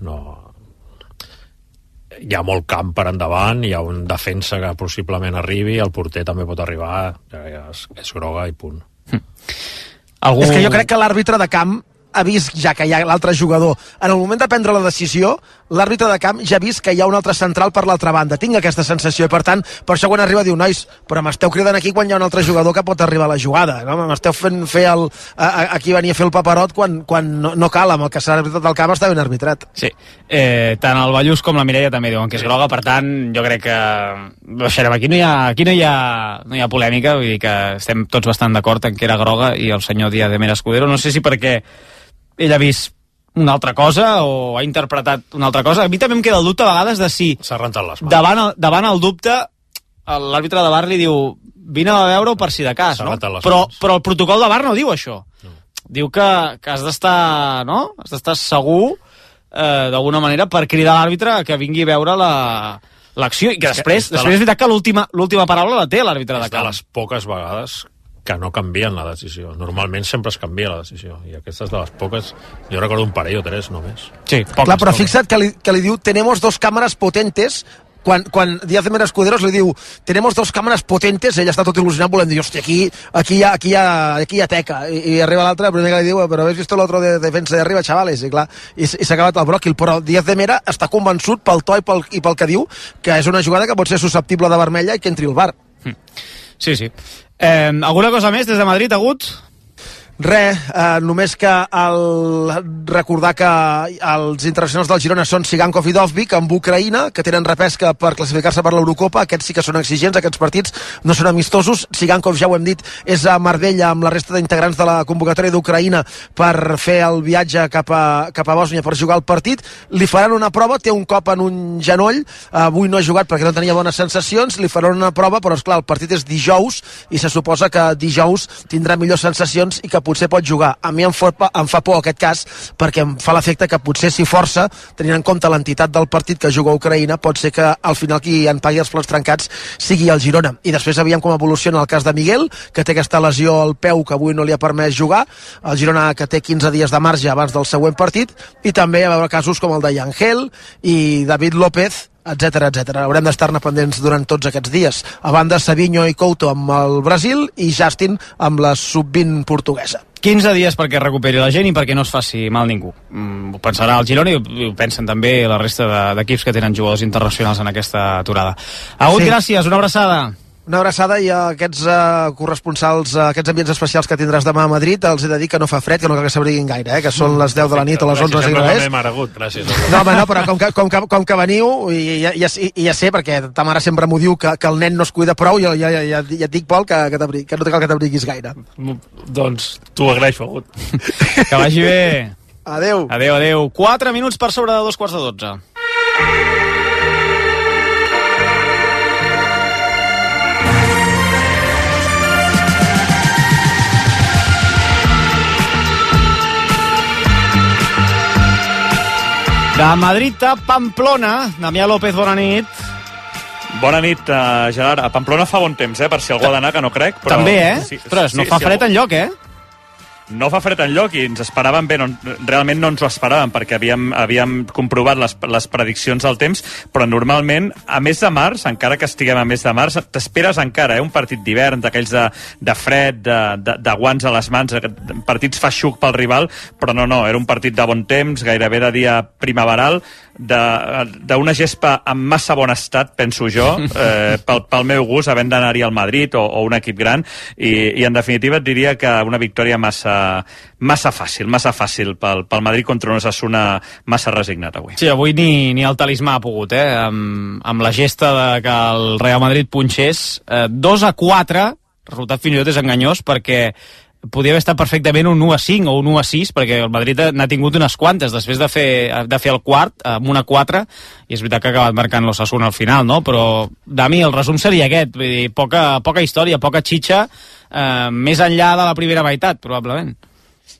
Hi ha molt camp per endavant, hi ha un defensa que possiblement arribi, el porter també pot arribar, és groga i punt. És que jo crec que l'àrbitre de camp ha vist ja que hi ha l'altre jugador. En el moment de prendre la decisió, l'àrbitre de camp ja ha vist que hi ha un altre central per l'altra banda. Tinc aquesta sensació i, per tant, per això quan arriba diu, nois, però m'esteu cridant aquí quan hi ha un altre jugador que pot arribar a la jugada, no? M'esteu fent fer aquí venir a fer el paperot quan no cal, amb el que s'ha arbitrat del camp està ben arbitrat. Sí, tant el Ballús com la Mireia també diuen que és groga, per tant, jo crec que baixarem. Aquí no hi ha polèmica, vull dir que estem tots bastant d'acord en que era groga, i el senyor Díaz de Mérez Escudero, no sé si perquè ell ha vist una altra cosa o ha interpretat una altra cosa. A mi també em queda el dubte a vegades de si s'ha rentat les mans. Davant el dubte l'àrbitre de VAR li diu vine a veure-ho per si de cas, no? Però el protocol de VAR no diu això. Diu que has d'estar, no? Has d'estar segur d'alguna manera per cridar l'àrbitre que vingui a veure l'acció, i que després és veritat que l'última paraula la té l'àrbitre de camp. De les poques vegades que no canvien la decisió. Normalment sempre es canvia la decisió, i aquestes de les poques, jo recordo un parell o 3 només. Sí, clar, però fixa't que li diu tenemos 2 cámaras potentes. Quan Díaz de Mérez Escudero li diu tenemos 2 cámaras potentes, ell està tot il·lusionat volent dir, hòstia, aquí hi ha teca, i arriba l'altre, el primer que li diu, però ¿habéis visto l'altre de defensa de arriba, chavales? I clar, i s'ha acabat el bròquil, però Díaz de Mera està convençut pel to i pel que diu que és una jugada que pot ser susceptible de vermella i que entri al VAR. Sí. Alguna cosa més des de Madrid, Agut? Només que recordar que els internacionals del Girona són Sigankov i Dovbyk amb Ucraïna, que tenen repesca per classificar-se per l'Eurocopa. Aquests sí que són exigents, aquests partits no són amistosos. Sigankov, ja ho hem dit, és a Marbella amb la resta d'integrants de la convocatòria d'Ucraïna per fer el viatge cap a Bòsnia per jugar el partit. Li faran una prova, té un cop en un genoll, avui no ha jugat perquè no tenia bones sensacions, li faran una prova, però esclar, el partit és dijous i se suposa que dijous tindrà millors sensacions i que potser pot jugar. A mi em fa por aquest cas, perquè em fa l'efecte que potser si força, tenint en compte l'entitat del partit que juga a Ucraïna, pot ser que al final qui en pagui els plats trencats sigui el Girona. I després aviam com evoluciona el cas de Miguel, que té aquesta lesió al peu que avui no li ha permès jugar, el Girona que té 15 dies de marge abans del següent partit, i també a veure casos com el de Yangel i David López, etcètera. Haurem d'estar-ne pendents durant tots aquests dies. A banda, Savinho i Couto amb el Brasil i Justin amb la sub-20 portuguesa. 15 dies perquè recuperi la gent i perquè no es faci mal ningú. Ho pensarà el Girona i ho pensen també la resta d'equips que tenen jugadors internacionals en aquesta aturada. Agut, gràcies, una abraçada. Una abraçada, i a aquests corresponsals, aquests ambients especials que tindràs demà a Madrid, els he de dir que no fa fred, que no cal que s'abriguin gaire, que són les 10 de la nit o les 11 gràcies, no sé què és. Gràcies. No, home, no, però com que veniu, i ja sé, perquè ta mare sempre m'ho diu que el nen no es cuida prou, ja et dic, Pol, que no cal que t'abriguis gaire. Doncs t'ho agraeixo, Agut. Que vagi bé. Adéu. Adéu. 4 minuts per sobre de 2:15. De Madrid a Pamplona, Damià López, bona nit. Bona nit, Gerard. A Pamplona fa bon temps, per si algú ha d'anar, que no crec. Però... També, Ostres, no fa fred enlloc, No fa fred enlloc i ens esperàvem bé, realment no ens ho esperàvem perquè havíem comprovat les prediccions del temps, però normalment a mes de març, encara que estiguem a mes de març, t'esperes encara, un partit d'hivern, d'aquells de fred, de guants a les mans, partits feixuc pel rival, però no, era un partit de bon temps, gairebé de dia primaveral, d'una gespa en massa bon estat, penso jo, pel meu gust, havent d'anar-hi al Madrid o un equip gran, i en definitiva et diria que una victòria massa fàcil pel Madrid contra un Osasuna massa resignat avui. Sí, avui ni el talismà ha pogut, amb la gesta de que el Real Madrid punxés 2-4, resultat fins i tot és enganyós perquè podia haver estat perfectament un 1-5 o un 1-6, perquè el Madrid n'ha tingut unes quantes després de fer el quart amb 1-4, i és veritat que ha acabat marcant l'Osasuna al final, no? Però, Dami, el resum seria aquest, vull dir, poca història, poca xitxa, més enllà de la primera meitat, probablement.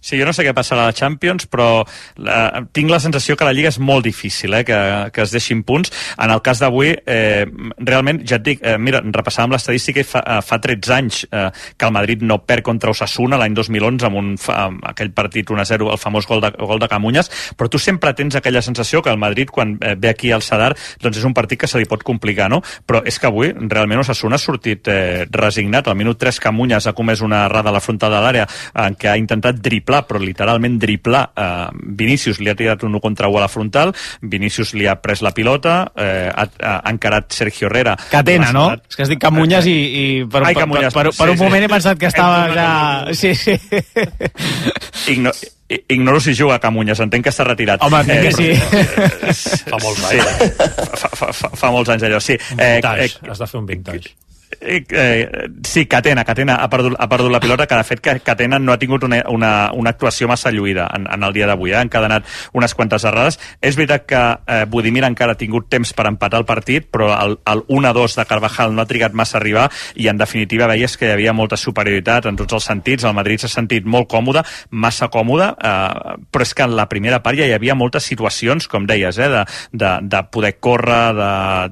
Sí, jo no sé què passarà a la Champions, però tinc la sensació que la Lliga és molt difícil, que es deixin punts. En el cas d'avui, realment, ja et dic, mira, repassàvem l'estadística i fa 13 anys que el Madrid no perd contra Osasuna, l'any 2011, amb aquell partit 1-0, el famós gol de Camuñas, però tu sempre tens aquella sensació que el Madrid, quan ve aquí al Sadar, doncs és un partit que se li pot complicar, no? Però és que avui, realment, Osasuna ha sortit resignat. Al minut 3, Camuñas ha comès una errada a la frontal de l'àrea en què ha intentat driblar, però literalment driblar. Vinícius li ha tirat un 1 contra 1 a la frontal, Vinícius li ha pres la pilota, ha encarat Sergio Herrera. Catena, no? És que has dit Camuñas i per un moment he pensat que estava ja... Sí. Ignoro si juga a Camuñas, entenc que està retirat. Home, entenc que sí. Fa molts anys. Fa molts anys allò, sí. Has de fer un vintage. Sí, Catena ha perdut la pilota, que de fet Catena no ha tingut una actuació massa lluïda en el dia d'avui, ha encadenat unes quantes errades. És veritat que Budimir encara ha tingut temps per empatar el partit, però el 1-2 de Carvajal no ha trigat massa a arribar i en definitiva veies que hi havia molta superioritat en tots els sentits. El Madrid s'ha sentit molt còmode, massa còmode, però és que en la primera part ja hi havia moltes situacions, com deies, de poder córrer,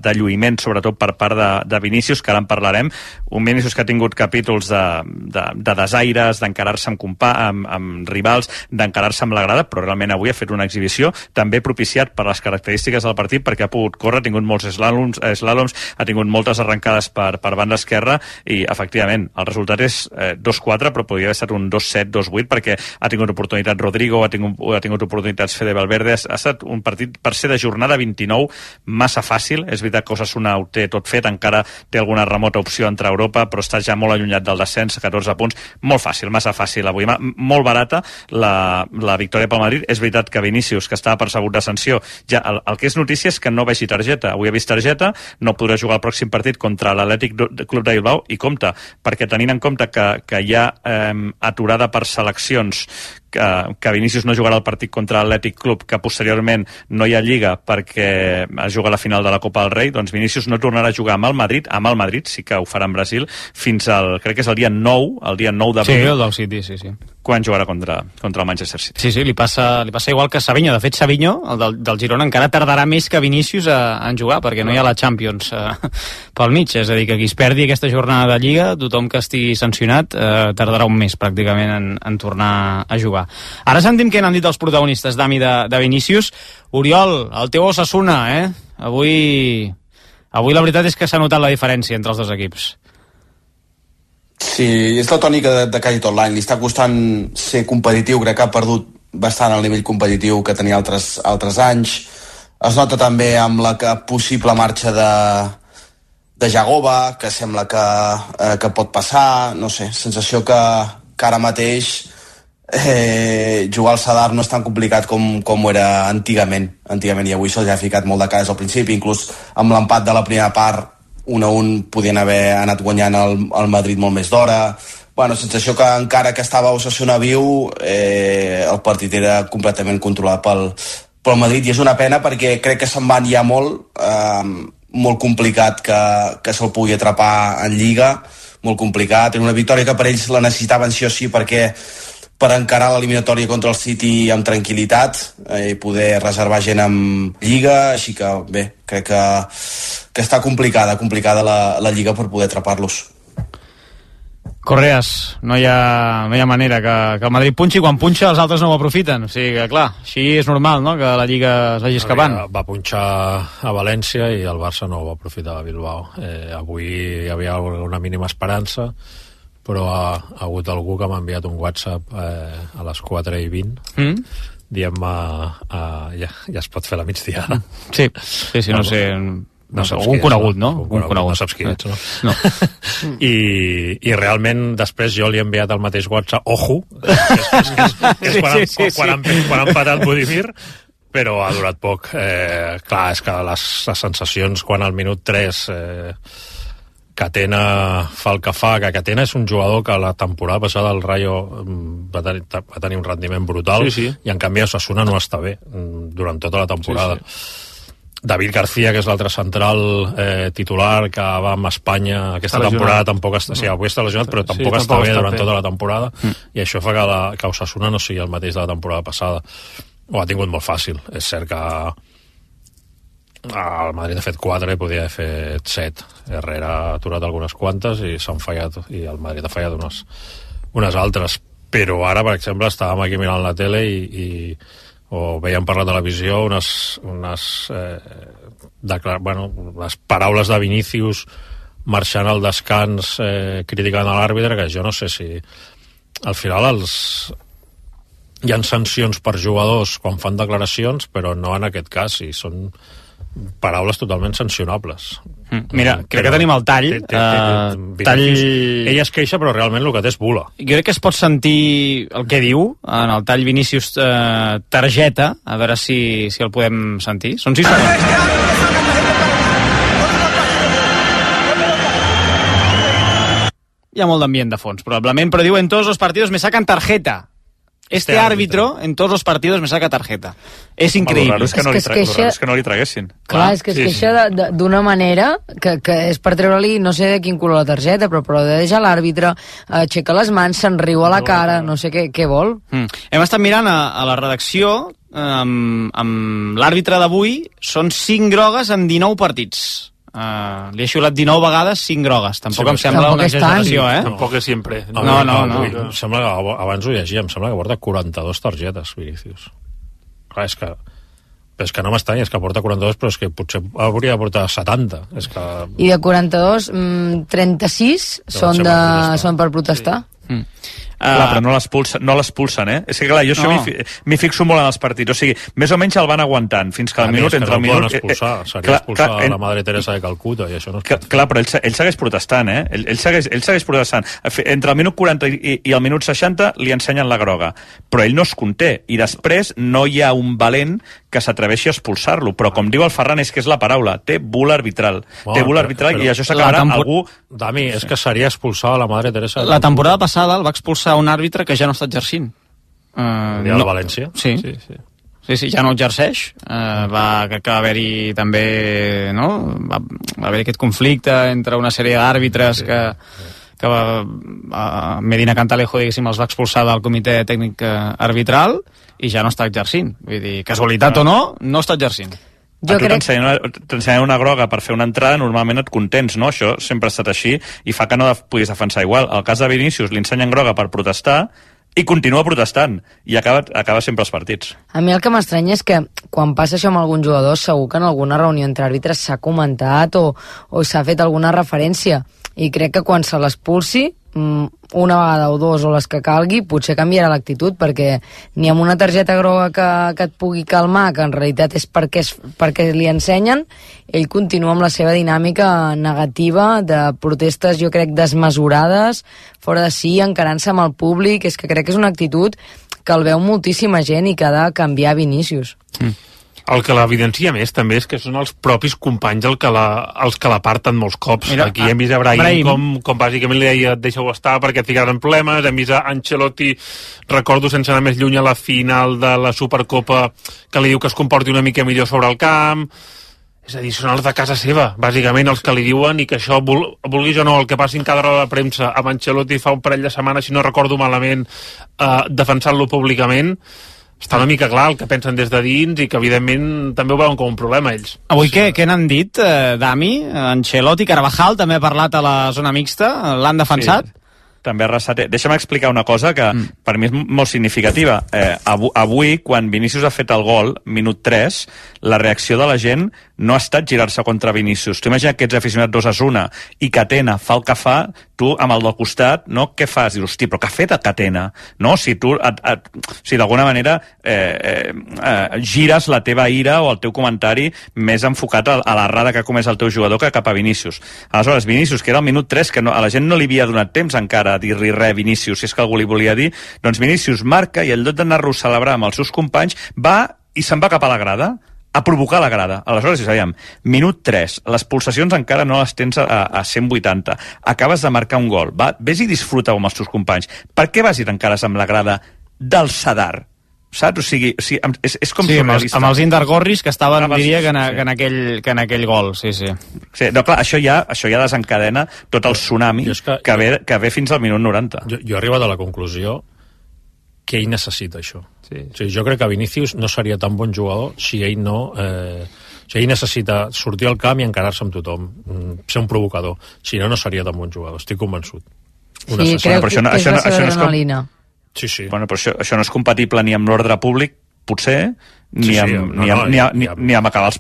de lluïment, sobretot per part de Vinícius, que ara en parlarem. Un Vinícius que ha tingut capítols de desaires, d'encarar-se amb rivals, d'encarar-se amb la grada, però realment avui ha fet una exhibició també propiciat per les característiques del partit, perquè ha pogut córrer, ha tingut molts slàloms, ha tingut moltes arrencades per banda esquerra i efectivament el resultat és 2-4, però podria haver estat un 2-7, 2-8, perquè ha tingut oportunitat Rodrigo, ha tingut oportunitats Fede Valverde. Ha estat un partit per ser de jornada 29 massa fàcil. És veritat que Osasuna ho té tot fet, encara té alguna remota opció entre Europa, però està ja molt allunyat del descens, 14 punts, molt fàcil, massa fàcil avui, molt barata la victòria pel Madrid. És veritat que Vinícius, que estava percebut de sanció, ja el que és notícia és que no vegi targeta. Avui ha vist targeta, no podrà jugar el pròxim partit contra l'Atlètic Club de Bilbao, i compte, perquè tenint en compte que hi ha aturada per seleccions, que Vinícius no jugarà el partit contra l'Atlètic Club, que posteriorment no hi ha Lliga perquè es juga a la final de la Copa del Rei, doncs Vinícius no tornarà a jugar amb el Madrid, sí que ho farà en Brasil, fins al, crec que és el dia 9 d'abril. Sí, el del City, sí. Quan jugarà contra el Manchester City. Sí, li passa igual que Savinho. De fet, Savinho, el del Girona, encara tardarà més que Vinícius en jugar, perquè no hi ha la Champions pel mig. És a dir, que qui es perdi aquesta jornada de Lliga, tothom que estigui sancionat, tardarà un mes pràcticament en tornar a jugar. Ara sentim què n'han dit els protagonistes, Dami, de Vinícius. Oriol, el teu Osasuna, Avui la veritat és que s'ha notat la diferència entre els dos equips. Sí, és la tònica de quasi tot l'any. Li està costant ser competitiu, crec que ha perdut bastant el nivell competitiu que tenia altres anys. Es nota també amb la possible marxa de Jagova, que sembla que pot passar, no sé, sensació que ara mateix jugar al Sadar no és tan complicat com ho era antigament, i avui se'ls ha ficat molt de cares al principi, inclús amb l'empat de la primera part 1-1 podien haver anat guanyant el Madrid molt més d'hora, sensació que encara que estava Osasuna viu, el partit era completament controlat pel Madrid, i és una pena perquè crec que se'n van ja molt complicat que se'l pugui atrapar en Lliga, molt complicat, era una victòria que per ells la necessitaven sí o sí per encarar l'eliminatòria contra el City amb tranquil·litat i poder reservar gent amb Lliga, així que bé, crec que està complicada la Lliga per poder atrapar-los. Correas, no hi ha manera que el Madrid punxi, quan punxa els altres no ho aprofiten, o sigui que clar, així és normal, no?, que la Lliga es vagi escapant. Va punxar a València i el Barça no ho va aprofitar a Bilbao. Avui hi havia una mínima esperança, però ha hagut algú que m'ha enviat un WhatsApp a les 4:20 dient-me ja es pot fer la migdiada. Sí, no sé... algun conegut, no? No saps qui ets, no? I realment després jo li he enviat el mateix WhatsApp, ojo, que és quan han patat Budimir, però ha durat poc. Clar, és que les sensacions quan al minut 3 Catena fa el que fa, que Catena és un jugador que la temporada passada el Rayo va tenir un rendiment brutal, i en canvi Osasuna no està bé durant tota la temporada. David García, que és l'altre central titular, que va amb Espanya aquesta temporada, tampoc està... Sí, avui està lesionat, però tampoc està bé durant tota la temporada, i això fa que Osasuna no sigui el mateix de la temporada passada. Ho ha tingut molt fàcil. És cert que el Madrid ha fet 4 i podia haver fet 7. Herrera ha aturat algunes quantes i s'han fallat, i el Madrid ha fallat unes altres. Però ara, per exemple, estàvem aquí mirant la tele o veiem per la televisió les paraules de Vinícius marxant al descans criticant a l'àrbitre, que jo no sé si al final hi ha sancions per jugadors quan fan declaracions, però no en aquest cas, i són paraules totalment sancionables. Mira, crec que tenim el tall. Ell es queixa, però realment el que té és bula. Jo crec que es pot sentir el que diu en el tall Vinícius targeta, a veure si el podem sentir. Són 6 segons. Hi ha molt d'ambient de fons, probablement, però diu en tots els partits me sacan tarjeta. Este árbitro en todos los partidos me saca tarjeta. És increïble. És que no li traguessin. Clar, és que es queixa d'una manera que és per treure-li, no sé de quin color la targeta, però de deixar l'àrbitre, aixeca les mans, se'n riu a la cara, no sé què vol. Hem estat mirant a la redacció, amb l'àrbitre d'avui, són 5 grogues en 19 partits. Li ha xiulat 19 vegades 5 grogues. Tampoc em sembla una exageració, Tampoc és sempre. No. Em sembla que abans ho llegia, em sembla que porta 42 targetes, Vinícius. Clar, és que no m'estanya, és que porta 42, però és que potser hauria de portar 70. I de 42, 36 són per protestar. Clar, però no l'expulsen, És que clar, jo això m'hi fixo molt en els partits, o sigui, més o menys el van aguantant fins que al minut, entre el minut... Seria expulsar a la Madre Teresa de Calcuta, i això no es pot. Clar, però ell segueix protestant, Ell segueix protestant. Entre el minut 40 i el minut 60 li ensenyen la groga, però ell no es conté, i després no hi ha un valent que s'atreveixi a expulsar-lo, però com diu el Ferran, és que és la paraula, té bula arbitral. Té bula arbitral, i això s'acabarà algú... Dami, és que seria expulsar a la Madre Teresa. La temporada passada el va expulsar un àrbitre que ja no està exercint. El dia de València? Sí, ja no exerceix. Crec que va haver-hi també, no? Va haver-hi aquest conflicte entre una sèrie d'àrbitres que Medina Cantalejo, diguéssim, els va expulsar del comitè tècnic arbitral i ja no està exercint. Vull dir, casualitat o no està exercint. A tu t'ensenyen una groga per fer una entrada, normalment et contents, no? Això sempre ha estat així i fa que no puguis defensar igual. El cas de Vinícius li ensenyen groga per protestar i continua protestant i acaba sempre els partits. A mi el que m'estranya és que quan passa això amb algun jugador segur que en alguna reunió entre àrbitres s'ha comentat o s'ha fet alguna referència, i crec que quan se l'expulsi una vegada o dos o les que calgui potser canviarà l'actitud, perquè ni amb una targeta groga que et pugui calmar, que en realitat és perquè li ensenyen, ell continua amb la seva dinàmica negativa de protestes, jo crec, desmesurades, fora de si, encarant-se amb el públic. És que crec que és una actitud que el veu moltíssima gent i que ha de canviar Vinícius. El que l'evidencia més també és que són els propis companys els que l'aparten molts cops. Mira, aquí hem vist a Brahim com bàsicament li deia deixa-ho estar perquè et ficaran problemes, hem vist a Ancelotti, recordo sense anar més lluny a la final de la Supercopa que li diu que es comporti una mica millor sobre el camp. És a dir, són els de casa seva, bàsicament els que li diuen, i que això, vulguis o no, el que passi en cada roda de premsa amb Ancelotti fa un parell de setmanes, si no recordo malament, defensant-lo públicament, està una mica clar el que pensen des de dins i que evidentment també ho veuen com un problema ells. Avui què n'han dit, Dami? Ancelotti, Carvajal també ha parlat a la zona mixta, l'han defensat? Sí. També Arrasate. Deixa'm explicar una cosa que per mi és molt significativa. Avui, quan Vinícius ha fet el gol, minut 3, la reacció de la gent no ha estat girar-se contra Vinícius. Tu imagina que ets aficionat d'Osasuna i Catena fa el que fa, tu amb el del costat, no? Què fas? Dius, hosti, però què ha fet el Catena? No? Si tu, si d'alguna manera gires la teva ira o el teu comentari més enfocat a l'errada que ha comès el teu jugador que cap a Vinícius. Aleshores, Vinícius, que era el minut 3, que a la gent no li havia donat temps encara a dir-li res Vinícius, si és que algú li volia dir, doncs Vinícius marca i en lloc d'anar-lo a celebrar amb els seus companys, va i se'n va cap a la grada, a provocar la grada. Aleshores, si sabíem, minut 3, les pulsacions encara no les tens a 180, acabes de marcar un gol, vés i disfruta amb els teus companys. Per què vas i t'encares amb la grada del Sadar? Saps? O sigui, és com surrealista. Amb els Indargorris que estaven, diria, que en aquell gol, sí. Sí, no, clar, això ja desencadena tot el tsunami que ve fins al minut 90. Jo he arribat a la conclusió que ell necessita això. Sí. O sigui, jo crec que Vinícius no seria tan bon jugador si ell no... si ell necessita sortir al camp i encarar-se amb tothom, ser un provocador. Si no, no seria tan bon jugador, estic convençut. Sí, crec que és la seva adrenalina. Sí. Bueno, però això no és compatible ni amb l'ordre públic, potser, ni amb acabar els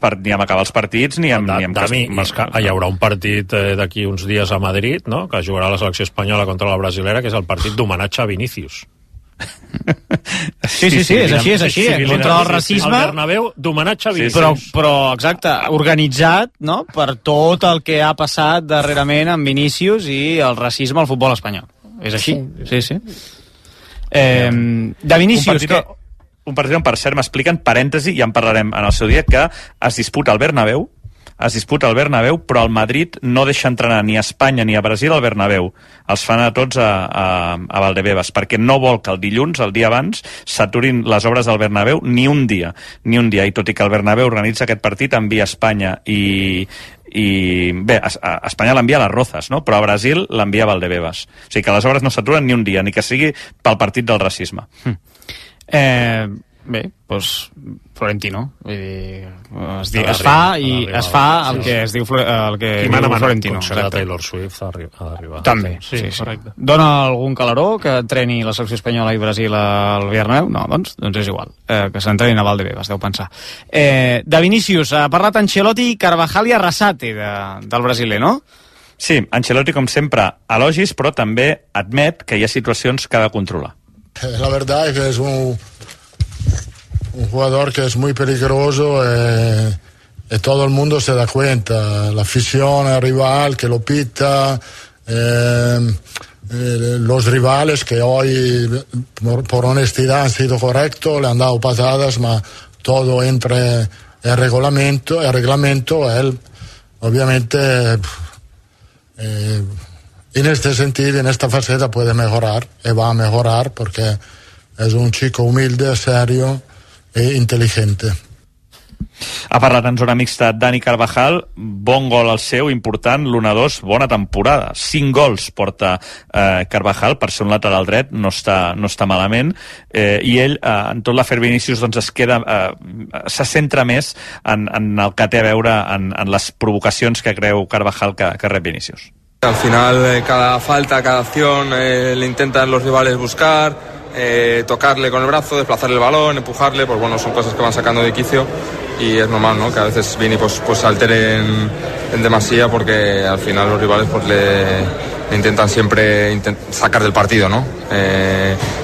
partits, ni amb hi haurà un partit d'aquí uns dies a Madrid, no?, que jugarà la selecció espanyola contra la brasilera, que és el partit d'homenatge a Vinícius. Sí, és així, contra el racisme. El Bernabéu d'homenatge a Vinícius. Però exacte, organitzat, no?, per tot el que ha passat darrerament amb Vinícius i el racisme al futbol espanyol. És així, sí. De Vinícius... Un partit on, per cert, m'expliquen, parèntesi, ja en parlarem en el seu dia, que es disputa al Bernabéu, però el Madrid no deixa entrenar ni a Espanya ni a Brasil al Bernabéu. Els fan a tots a Valdebebas, perquè no vol que el dilluns, el dia abans, s'aturin les obres del Bernabéu ni un dia. I tot i que el Bernabéu organitza aquest partit, envia a Espanya i bé, a Espanya l'envia a les Rozas, no? Però a Brasil l'envia a Valdebebas. O sigui que les obres no s'aturen ni un dia, ni que sigui pel partit del racisme. Bé, doncs Florentino, vull dir, es fa el que es diu Florentino. Concert de Taylor Swift ha d'arribar. També, sí, correcte. Dona algun calaró que entreni la selecció espanyola i Brasil al Bernabéu? No, doncs és igual, que s'entrenin a Valdebebas, deu pensar. De Vinícius, ha parlat Ancelotti, Carvajal i Arrasate del brasiler, no? Sí, Ancelotti, com sempre, elogis, però també admet que hi ha situacions que ha de controlar. La verdad es que es un jugador que es muy peligroso y todo el mundo se da cuenta, la afición, el rival que lo pita, los rivales que hoy por honestidad han sido correctos, le han dado patadas, pero todo entre el reglamento, él obviamente en este sentido, en esta faceta puede mejorar y va a mejorar porque es un chico humilde, serio e intel·ligente. Ha parlat en zona mixta Dani Carvajal, bon gol al seu, important, l'1-2, bona temporada. 5 gols porta Carvajal, per ser un lateral dret, no està malament, i ell, en tot l'afer Vinícius, doncs se centra més en el que té a veure en les provocacions que creu Carvajal que rep Vinícius. Al final, cada falta, cada acción, le intentan los rivales buscar, tocarle con el brazo, desplazarle el balón, empujarle, pues bueno, son cosas que van sacando de quicio y es normal, ¿no?, que a veces Vini pues se altere en demasía porque al final los rivales pues le intentan siempre sacar del partido, ¿no?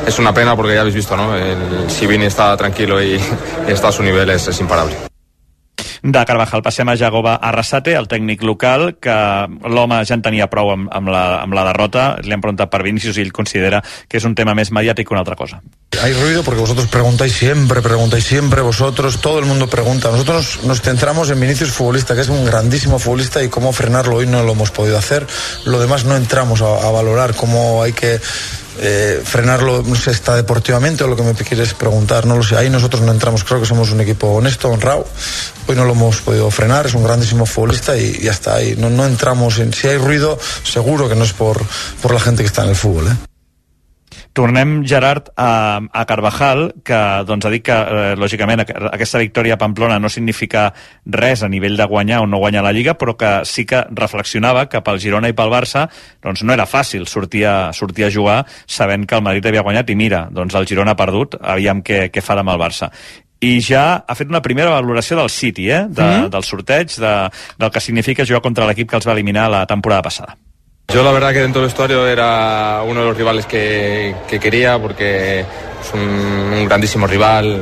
Es una pena porque ya habéis visto, ¿no?, si Vini está tranquilo y está a su nivel es imparable. de Carvajal passem a Jagoba Arrasate, el tècnic local, que l'home ja en tenia prou amb la derrota. Li han preguntat per Vinícius i ell considera que és un tema més mediàtic que una altra cosa. Hay ruido porque vosotros preguntáis siempre, vosotros, todo el mundo pregunta. Nosotros nos centramos en Vinícius futbolista, que es un grandísimo futbolista, y cómo frenarlo hoy no lo hemos podido hacer. Lo demás no entramos a valorar cómo hay que frenarlo, no sé, está deportivamente o lo que me quieres preguntar, no lo sé. Ahí nosotros no entramos, creo que somos un equipo honesto, honrado. Hoy no lo hemos podido frenar, es un grandísimo futbolista y ya está. Ahí no entramos en... Si hay ruido, seguro que no es por la gente que está en el fútbol, Tornem, Gerard, a Carvajal, que doncs, ha dit que, lògicament, aquesta victòria a Pamplona no significa res a nivell de guanyar o no guanyar la Lliga, però que sí que reflexionava que pel Girona i pel Barça doncs, no era fàcil sortir a jugar sabent que el Madrid havia guanyat, i mira, doncs el Girona ha perdut, aviam què fa demà el Barça. I ja ha fet una primera valoració del City, del sorteig, del que significa jugar contra l'equip que els va eliminar la temporada passada. Yo la verdad que dentro del vestuario era uno de los rivales que quería, porque es un grandísimo rival,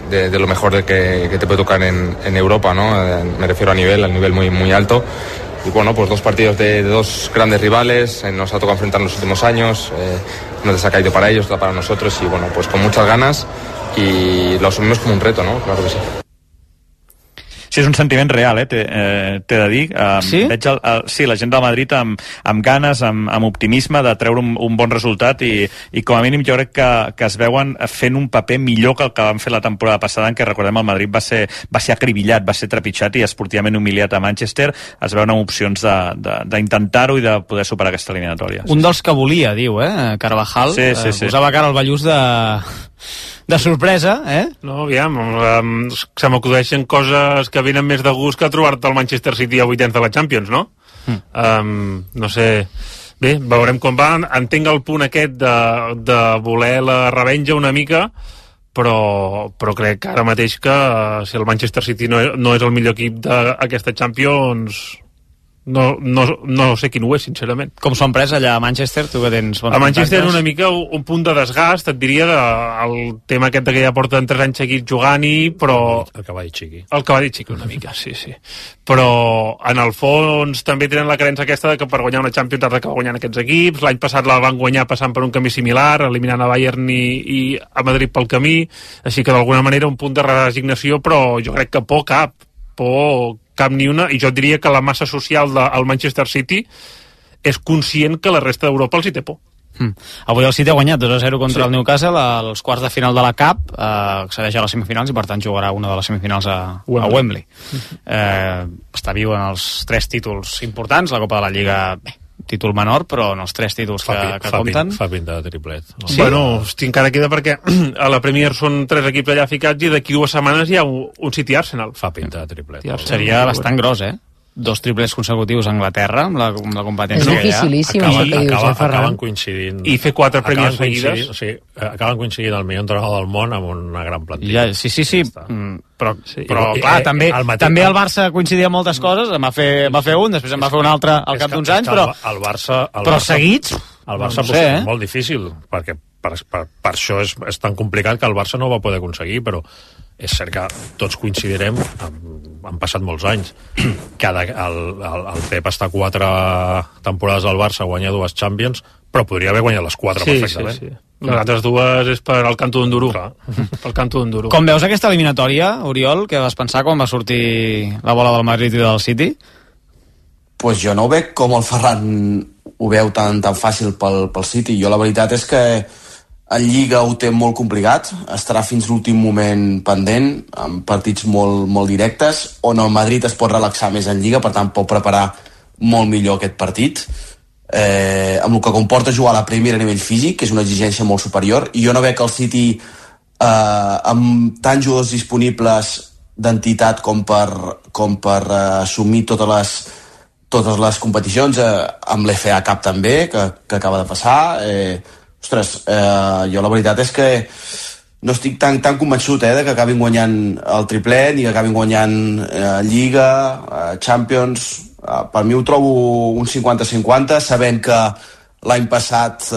de lo mejor que te puede tocar en Europa, ¿no? Me refiero al nivel muy, muy alto. Y bueno, pues dos partidos de dos grandes rivales, nos ha tocado enfrentar en los últimos años, no les ha caído para ellos, para nosotros, y bueno, pues con muchas ganas, y lo asumimos como un reto, ¿no? Claro que sí. Sí, és un sentiment real, t'he de dir. Sí? Veig la gent del Madrid amb ganes, amb optimisme de treure un bon resultat, i com a mínim jo crec que es veuen fent un paper millor que el que van fer la temporada passada, en què, recordem, el Madrid va ser acribillat, va ser trepitjat i esportivament humiliat a Manchester. Es veuen amb opcions d'intentar-ho i de poder superar aquesta eliminatòria. Un dels que volia, diu, Carvajal. Sí. Posava cara al Ballús de sorpresa, No, aviam, se m'acudeixen coses que venen més de gust que trobar-te al Manchester City a vuitens de la Champions, no? No sé... Bé, veurem com va. Entenc el punt aquest de voler la revenja una mica, però crec que ara mateix que si el Manchester City no és el millor equip d'aquesta Champions... No sé quin ho és, sincerament. Com s'ho han pres allà a Manchester? Tu que tens bons a Manchester contactes. una mica un punt de desgast, et diria, el tema aquest que ja porten 3 anys seguits jugant-hi, però... El cavall xiqui. El cavall xiqui una mica, sí. Però en el fons també tenen la creença aquesta de que per guanyar una Champions has d'acabar guanyant aquests equips. L'any passat la van guanyar passant per un camí similar, eliminant a Bayern i a Madrid pel camí, així que d'alguna manera un punt de resignació, però jo crec que por cap ni una, i jo diria que la massa social del Manchester City és conscient que la resta d'Europa els hi té por. Avui el City ha guanyat 2-0 contra el Newcastle als quarts de final de la Cup, accedeix a les semifinals i per tant jugarà una de les semifinals a Wembley. Està viu en els 3 títols importants, la Copa de la Lliga, títol menor, però en els 3 títols que compten... Fa pinta de triplet. Sí? Bueno, encara queda perquè a la Premier són 3 equips allà ficats i d'aquí 2 setmanes hi ha un City-Arsenal. Fa pinta de triplet. Seria bastant gros, 2 triplets consecutius a Anglaterra, amb la competència que hi ha. És dificilíssim, acaben coincidint... I fer 4 Premier seguides. Sí, acaben coincidint el millor entrenador del món amb una gran plantilla. Sí. Però clar, també el Barça coincidia amb moltes coses, va fer un, després en va fer un altre al cap d'uns anys, però seguits... El Barça és molt difícil, perquè per això és tan complicat que el Barça no ho va poder aconseguir, però és cert que tots coincidirem, han passat molts anys, que el Pep està 4 temporades al Barça, guanya 2 Champions, però podria haver guanyat les 4 perfectament. Sí. Les altres 2 és per al canto d'Enduro. Com veus aquesta eliminatòria, Oriol? Què vas pensar quan va sortir la bola del Madrid i del City? Pues jo no ho veig com el Ferran ho veu tan fàcil pel City. Jo la veritat és que en Lliga ho té molt complicat, estarà fins l'últim moment pendent, amb partits molt directes, on el Madrid es pot relaxar més en Lliga, per tant pot preparar molt millor aquest partit, amb el que comporta jugar a la Premier a nivell físic, que és una exigència molt superior, i jo no veig el City amb tants jugadors disponibles d'entitat com per assumir totes les competicions, amb l'FA Cup també, que acaba de passar. Jo la veritat és que no estic tan convençut de que acabin guanyant el triplet ni que acabin guanyant Lliga, Champions. Per mi ho trobo un 50-50, sabent que l'any passat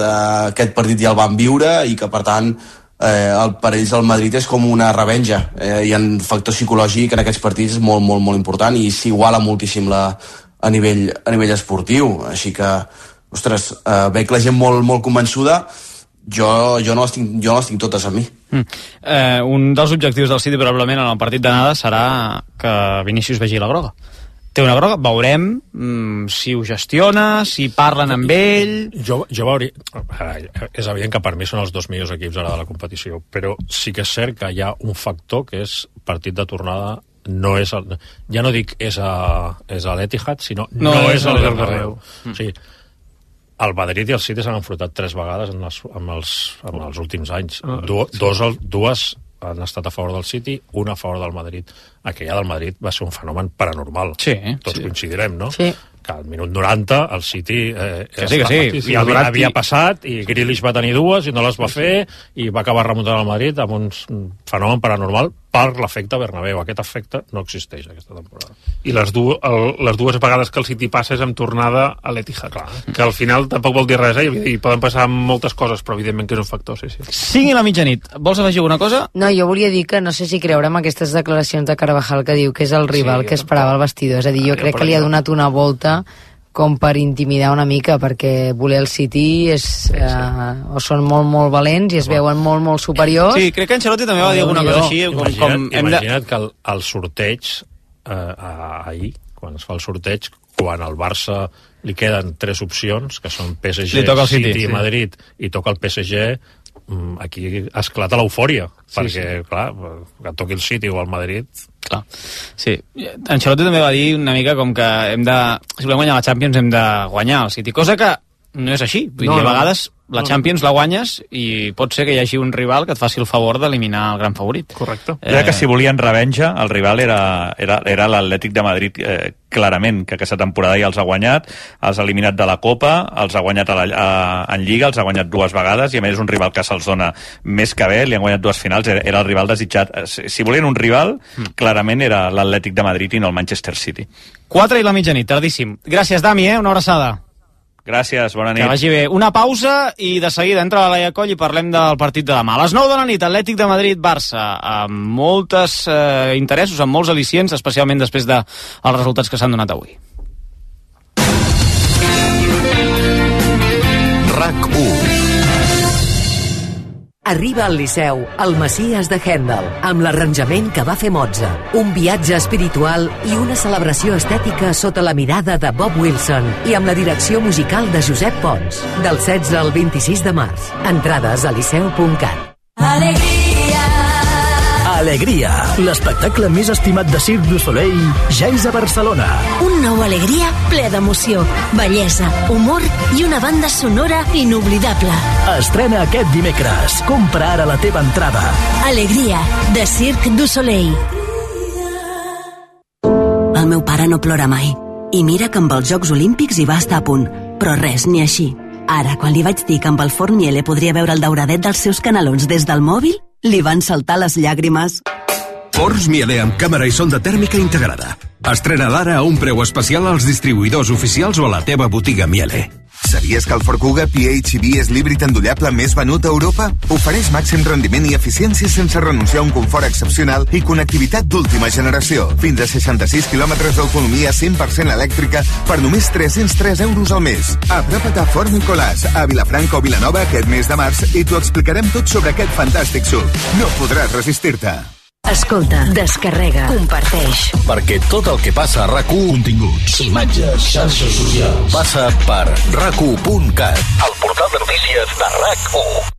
aquest partit ja el van viure i que per tant per ells el Madrid és com una revenja. Hi ha un factor psicològic en aquests partits molt, molt, molt important i s'iguala moltíssim a nivell esportiu. Així que, ostres, veig la gent molt, molt convençuda. Jo no les tinc totes a mi. Un dels objectius del City probablement en el partit d'anada serà que Vinícius vegi la groga. Té una groga, veurem si ho gestiona, si parlen amb ell... Jo veuria... És evident que per mi són els dos millors equips ara de la competició, però sí que és cert que hi ha un factor que és partit de tornada, no és ja no dic és a l'Etihad, sinó no és al Bernabéu. O sigui, el Madrid i el City s'han enfrontat 3 vegades en els últims anys. Dues han estat a favor del City, una a favor del Madrid. Aquella del Madrid va ser un fenomen paranormal. Sí, tots coincidirem, no? Sí. Que al minut 90 el City sí. havia passat i Grealish va tenir dues i no les va fer i va acabar remuntant el Madrid amb un fenomen paranormal per l'efecte Bernabéu. Aquest efecte no existeix aquesta temporada. I les dues vegades que el City passa és amb tornada a l'Etihad, que al final tampoc vol dir res, i poden passar moltes coses, però evidentment que és un factor, sí. 5 i la mitjanit. Vols afegir alguna cosa? No, jo volia dir que no sé si creure en aquestes declaracions de Carvajal que diu que és el rival que esperava el vestidor. És a dir, jo crec que li ha donat una volta com per intimidar una mica, perquè voler el City és, o són molt, molt valents i es veuen molt, molt superiors. Sí, crec que Ancelotti també va dir alguna cosa així. Imagina't que el sorteig ahir, quan es fa el sorteig, quan al Barça li queden 3 opcions, que són PSG, City i Madrid, i toca el PSG, aquí esclata l'eufòria, perquè, clar, que toqui el City o el Madrid... Clar, sí. Ancelotti també va dir una mica com que si volem guanyar la Champions hem de guanyar el City, cosa que no és així. Vull dir, a vegades la Champions la guanyes i pot ser que hi hagi un rival que et faci el favor d'eliminar el gran favorit. Correcte. Que si volien revenja, el rival era l'Atlètic de Madrid, clarament, que aquesta temporada ja els ha guanyat, els ha eliminat de la Copa, els ha guanyat en Lliga, els ha guanyat 2 vegades, i a més és un rival que se'ls dona més que bé, li han guanyat 2 finals, era el rival desitjat. Si volien un rival, clarament era l'Atlètic de Madrid i no el Manchester City. 4 i la mitjanit, tardíssim. Gràcies, Dami, una abraçada. Gràcies, bona nit. Que vagi bé. Una pausa i de seguida entra la Laia Coll i parlem del partit de demà. A les 9 de la nit, Atlètic de Madrid-Barça, amb moltes interessos, amb molts al·licients, especialment després dels resultats que s'han donat avui. RAC1. Arriba al Liceu, el Messies de Händel, amb l'arranjament que va fer Mozart. Un viatge espiritual i una celebració estètica sota la mirada de Bob Wilson i amb la direcció musical de Josep Pons. Del 16 al 26 de març. Entrades a liceu.cat. Alegria, l'espectacle més estimat de Cirque du Soleil ja és a Barcelona. Un nou Alegria ple d'emoció, bellesa, humor i una banda sonora inoblidable. Estrena aquest dimecres. Compra ara la teva entrada. Alegria, de Cirque du Soleil. El meu pare no plora mai. I mira que amb els Jocs Olímpics hi va estar a punt. Però res, ni així. Ara, quan li vaig dir que amb el forn Miele podria veure el dauradet dels seus canelons des del mòbil, li van saltar les llàgrimes. Forns Miele amb càmera i sonda tèrmica integrada. Estrena d'ara a un preu especial als distribuïdors oficials o a la teva botiga Miele. Sabies que el Ford Kuga PHEV és l'híbrid endollable més venut a Europa? Ofereix màxim rendiment i eficiència sense renunciar a un confort excepcional i connectivitat d'última generació. Fins a 66 quilòmetres d'autonomia 100% elèctrica per només 303 euros al mes. Apropa't a Fort Nicolàs, a Vilafranca o Vilanova aquest mes de març i t'ho explicarem tot sobre aquest fantàstic SUV. No podràs resistir-te. Escolta, descarrega, comparteix. Perquè tot el que passa a RAC1, continguts, imatges, xarxes socials, passa per RAC1.cat, el portal de notícies de RAC1.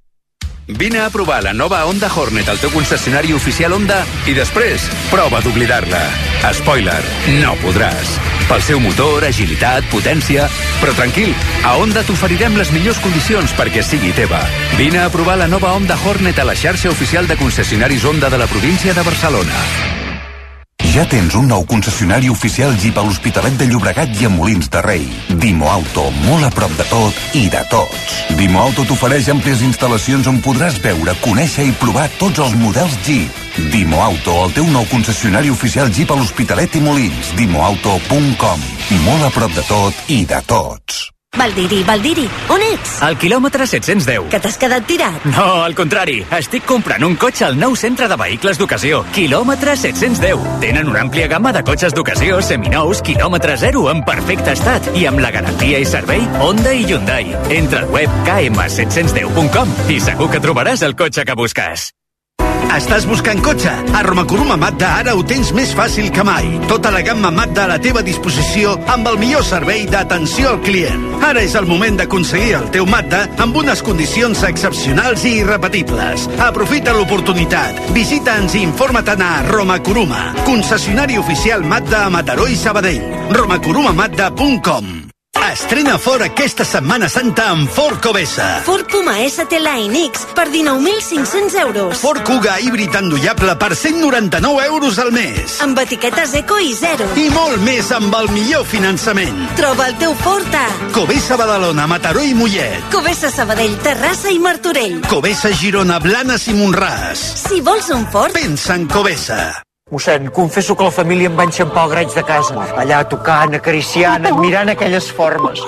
Vine a provar la nova Honda Hornet al teu concessionari oficial Honda i després prova d'oblidar-la. Spoiler, no podràs. Pel seu motor, agilitat, potència... Però tranquil, a Honda t'oferirem les millors condicions perquè sigui teva. Vine a provar la nova Honda Hornet a la xarxa oficial de concessionaris Honda de la província de Barcelona. Ja tens un nou concessionari oficial Jeep a l'Hospitalet de Llobregat i a Molins de Rei. Dimo Auto, molt a prop de tot i de tots. Dimo Auto t'ofereix àmplies instal·lacions on podràs veure, conèixer i provar tots els models Jeep. Dimo Auto, el teu nou concessionari oficial Jeep a l'Hospitalet i Molins. Dimoauto.com. Molt a prop de tot i de tots. Valdiri, on ets? Al quilòmetre 710. Que t'has quedat tirat? No, al contrari. Estic comprant un cotxe al nou centre de vehicles d'ocasió. Quilòmetre 710. Tenen una àmplia gamma de cotxes d'ocasió, seminous, quilòmetre zero, en perfecte estat i amb la garantia i servei Honda i Hyundai. Entra al web km710.com i segur que trobaràs el cotxe que busques. Estàs buscant cotxe? A Romakuruma Mazda ara ho tens més fàcil que mai. Tota la gamma Mazda a la teva disposició amb el millor servei d'atenció al client. Ara és el moment d'aconseguir el teu Mazda amb unes condicions excepcionals i irrepetibles. Aprofita l'oportunitat. Visita'ns i informa-te'n a Romakuruma, concessionari oficial Mazda a Mataró i Sabadell. romakurumamazda.com. Estrena Ford aquesta Setmana Santa amb Ford Cobesa. Ford Puma ST Line X per 19.500 euros. Ford Kuga híbrid endollable per 199 euros al mes. Amb etiquetes eco i zero. I molt més amb el millor finançament. Troba el teu Ford a Cobesa Badalona, Mataró i Mollet. Cobesa Sabadell, Terrassa i Martorell. Cobesa Girona, Blanes i Montràs. Si vols un Ford, pensa en Cobesa. Mossèn, confesso que la família em va enxampar el graig de casa. Allà tocant, acariciant, admirant aquelles formes.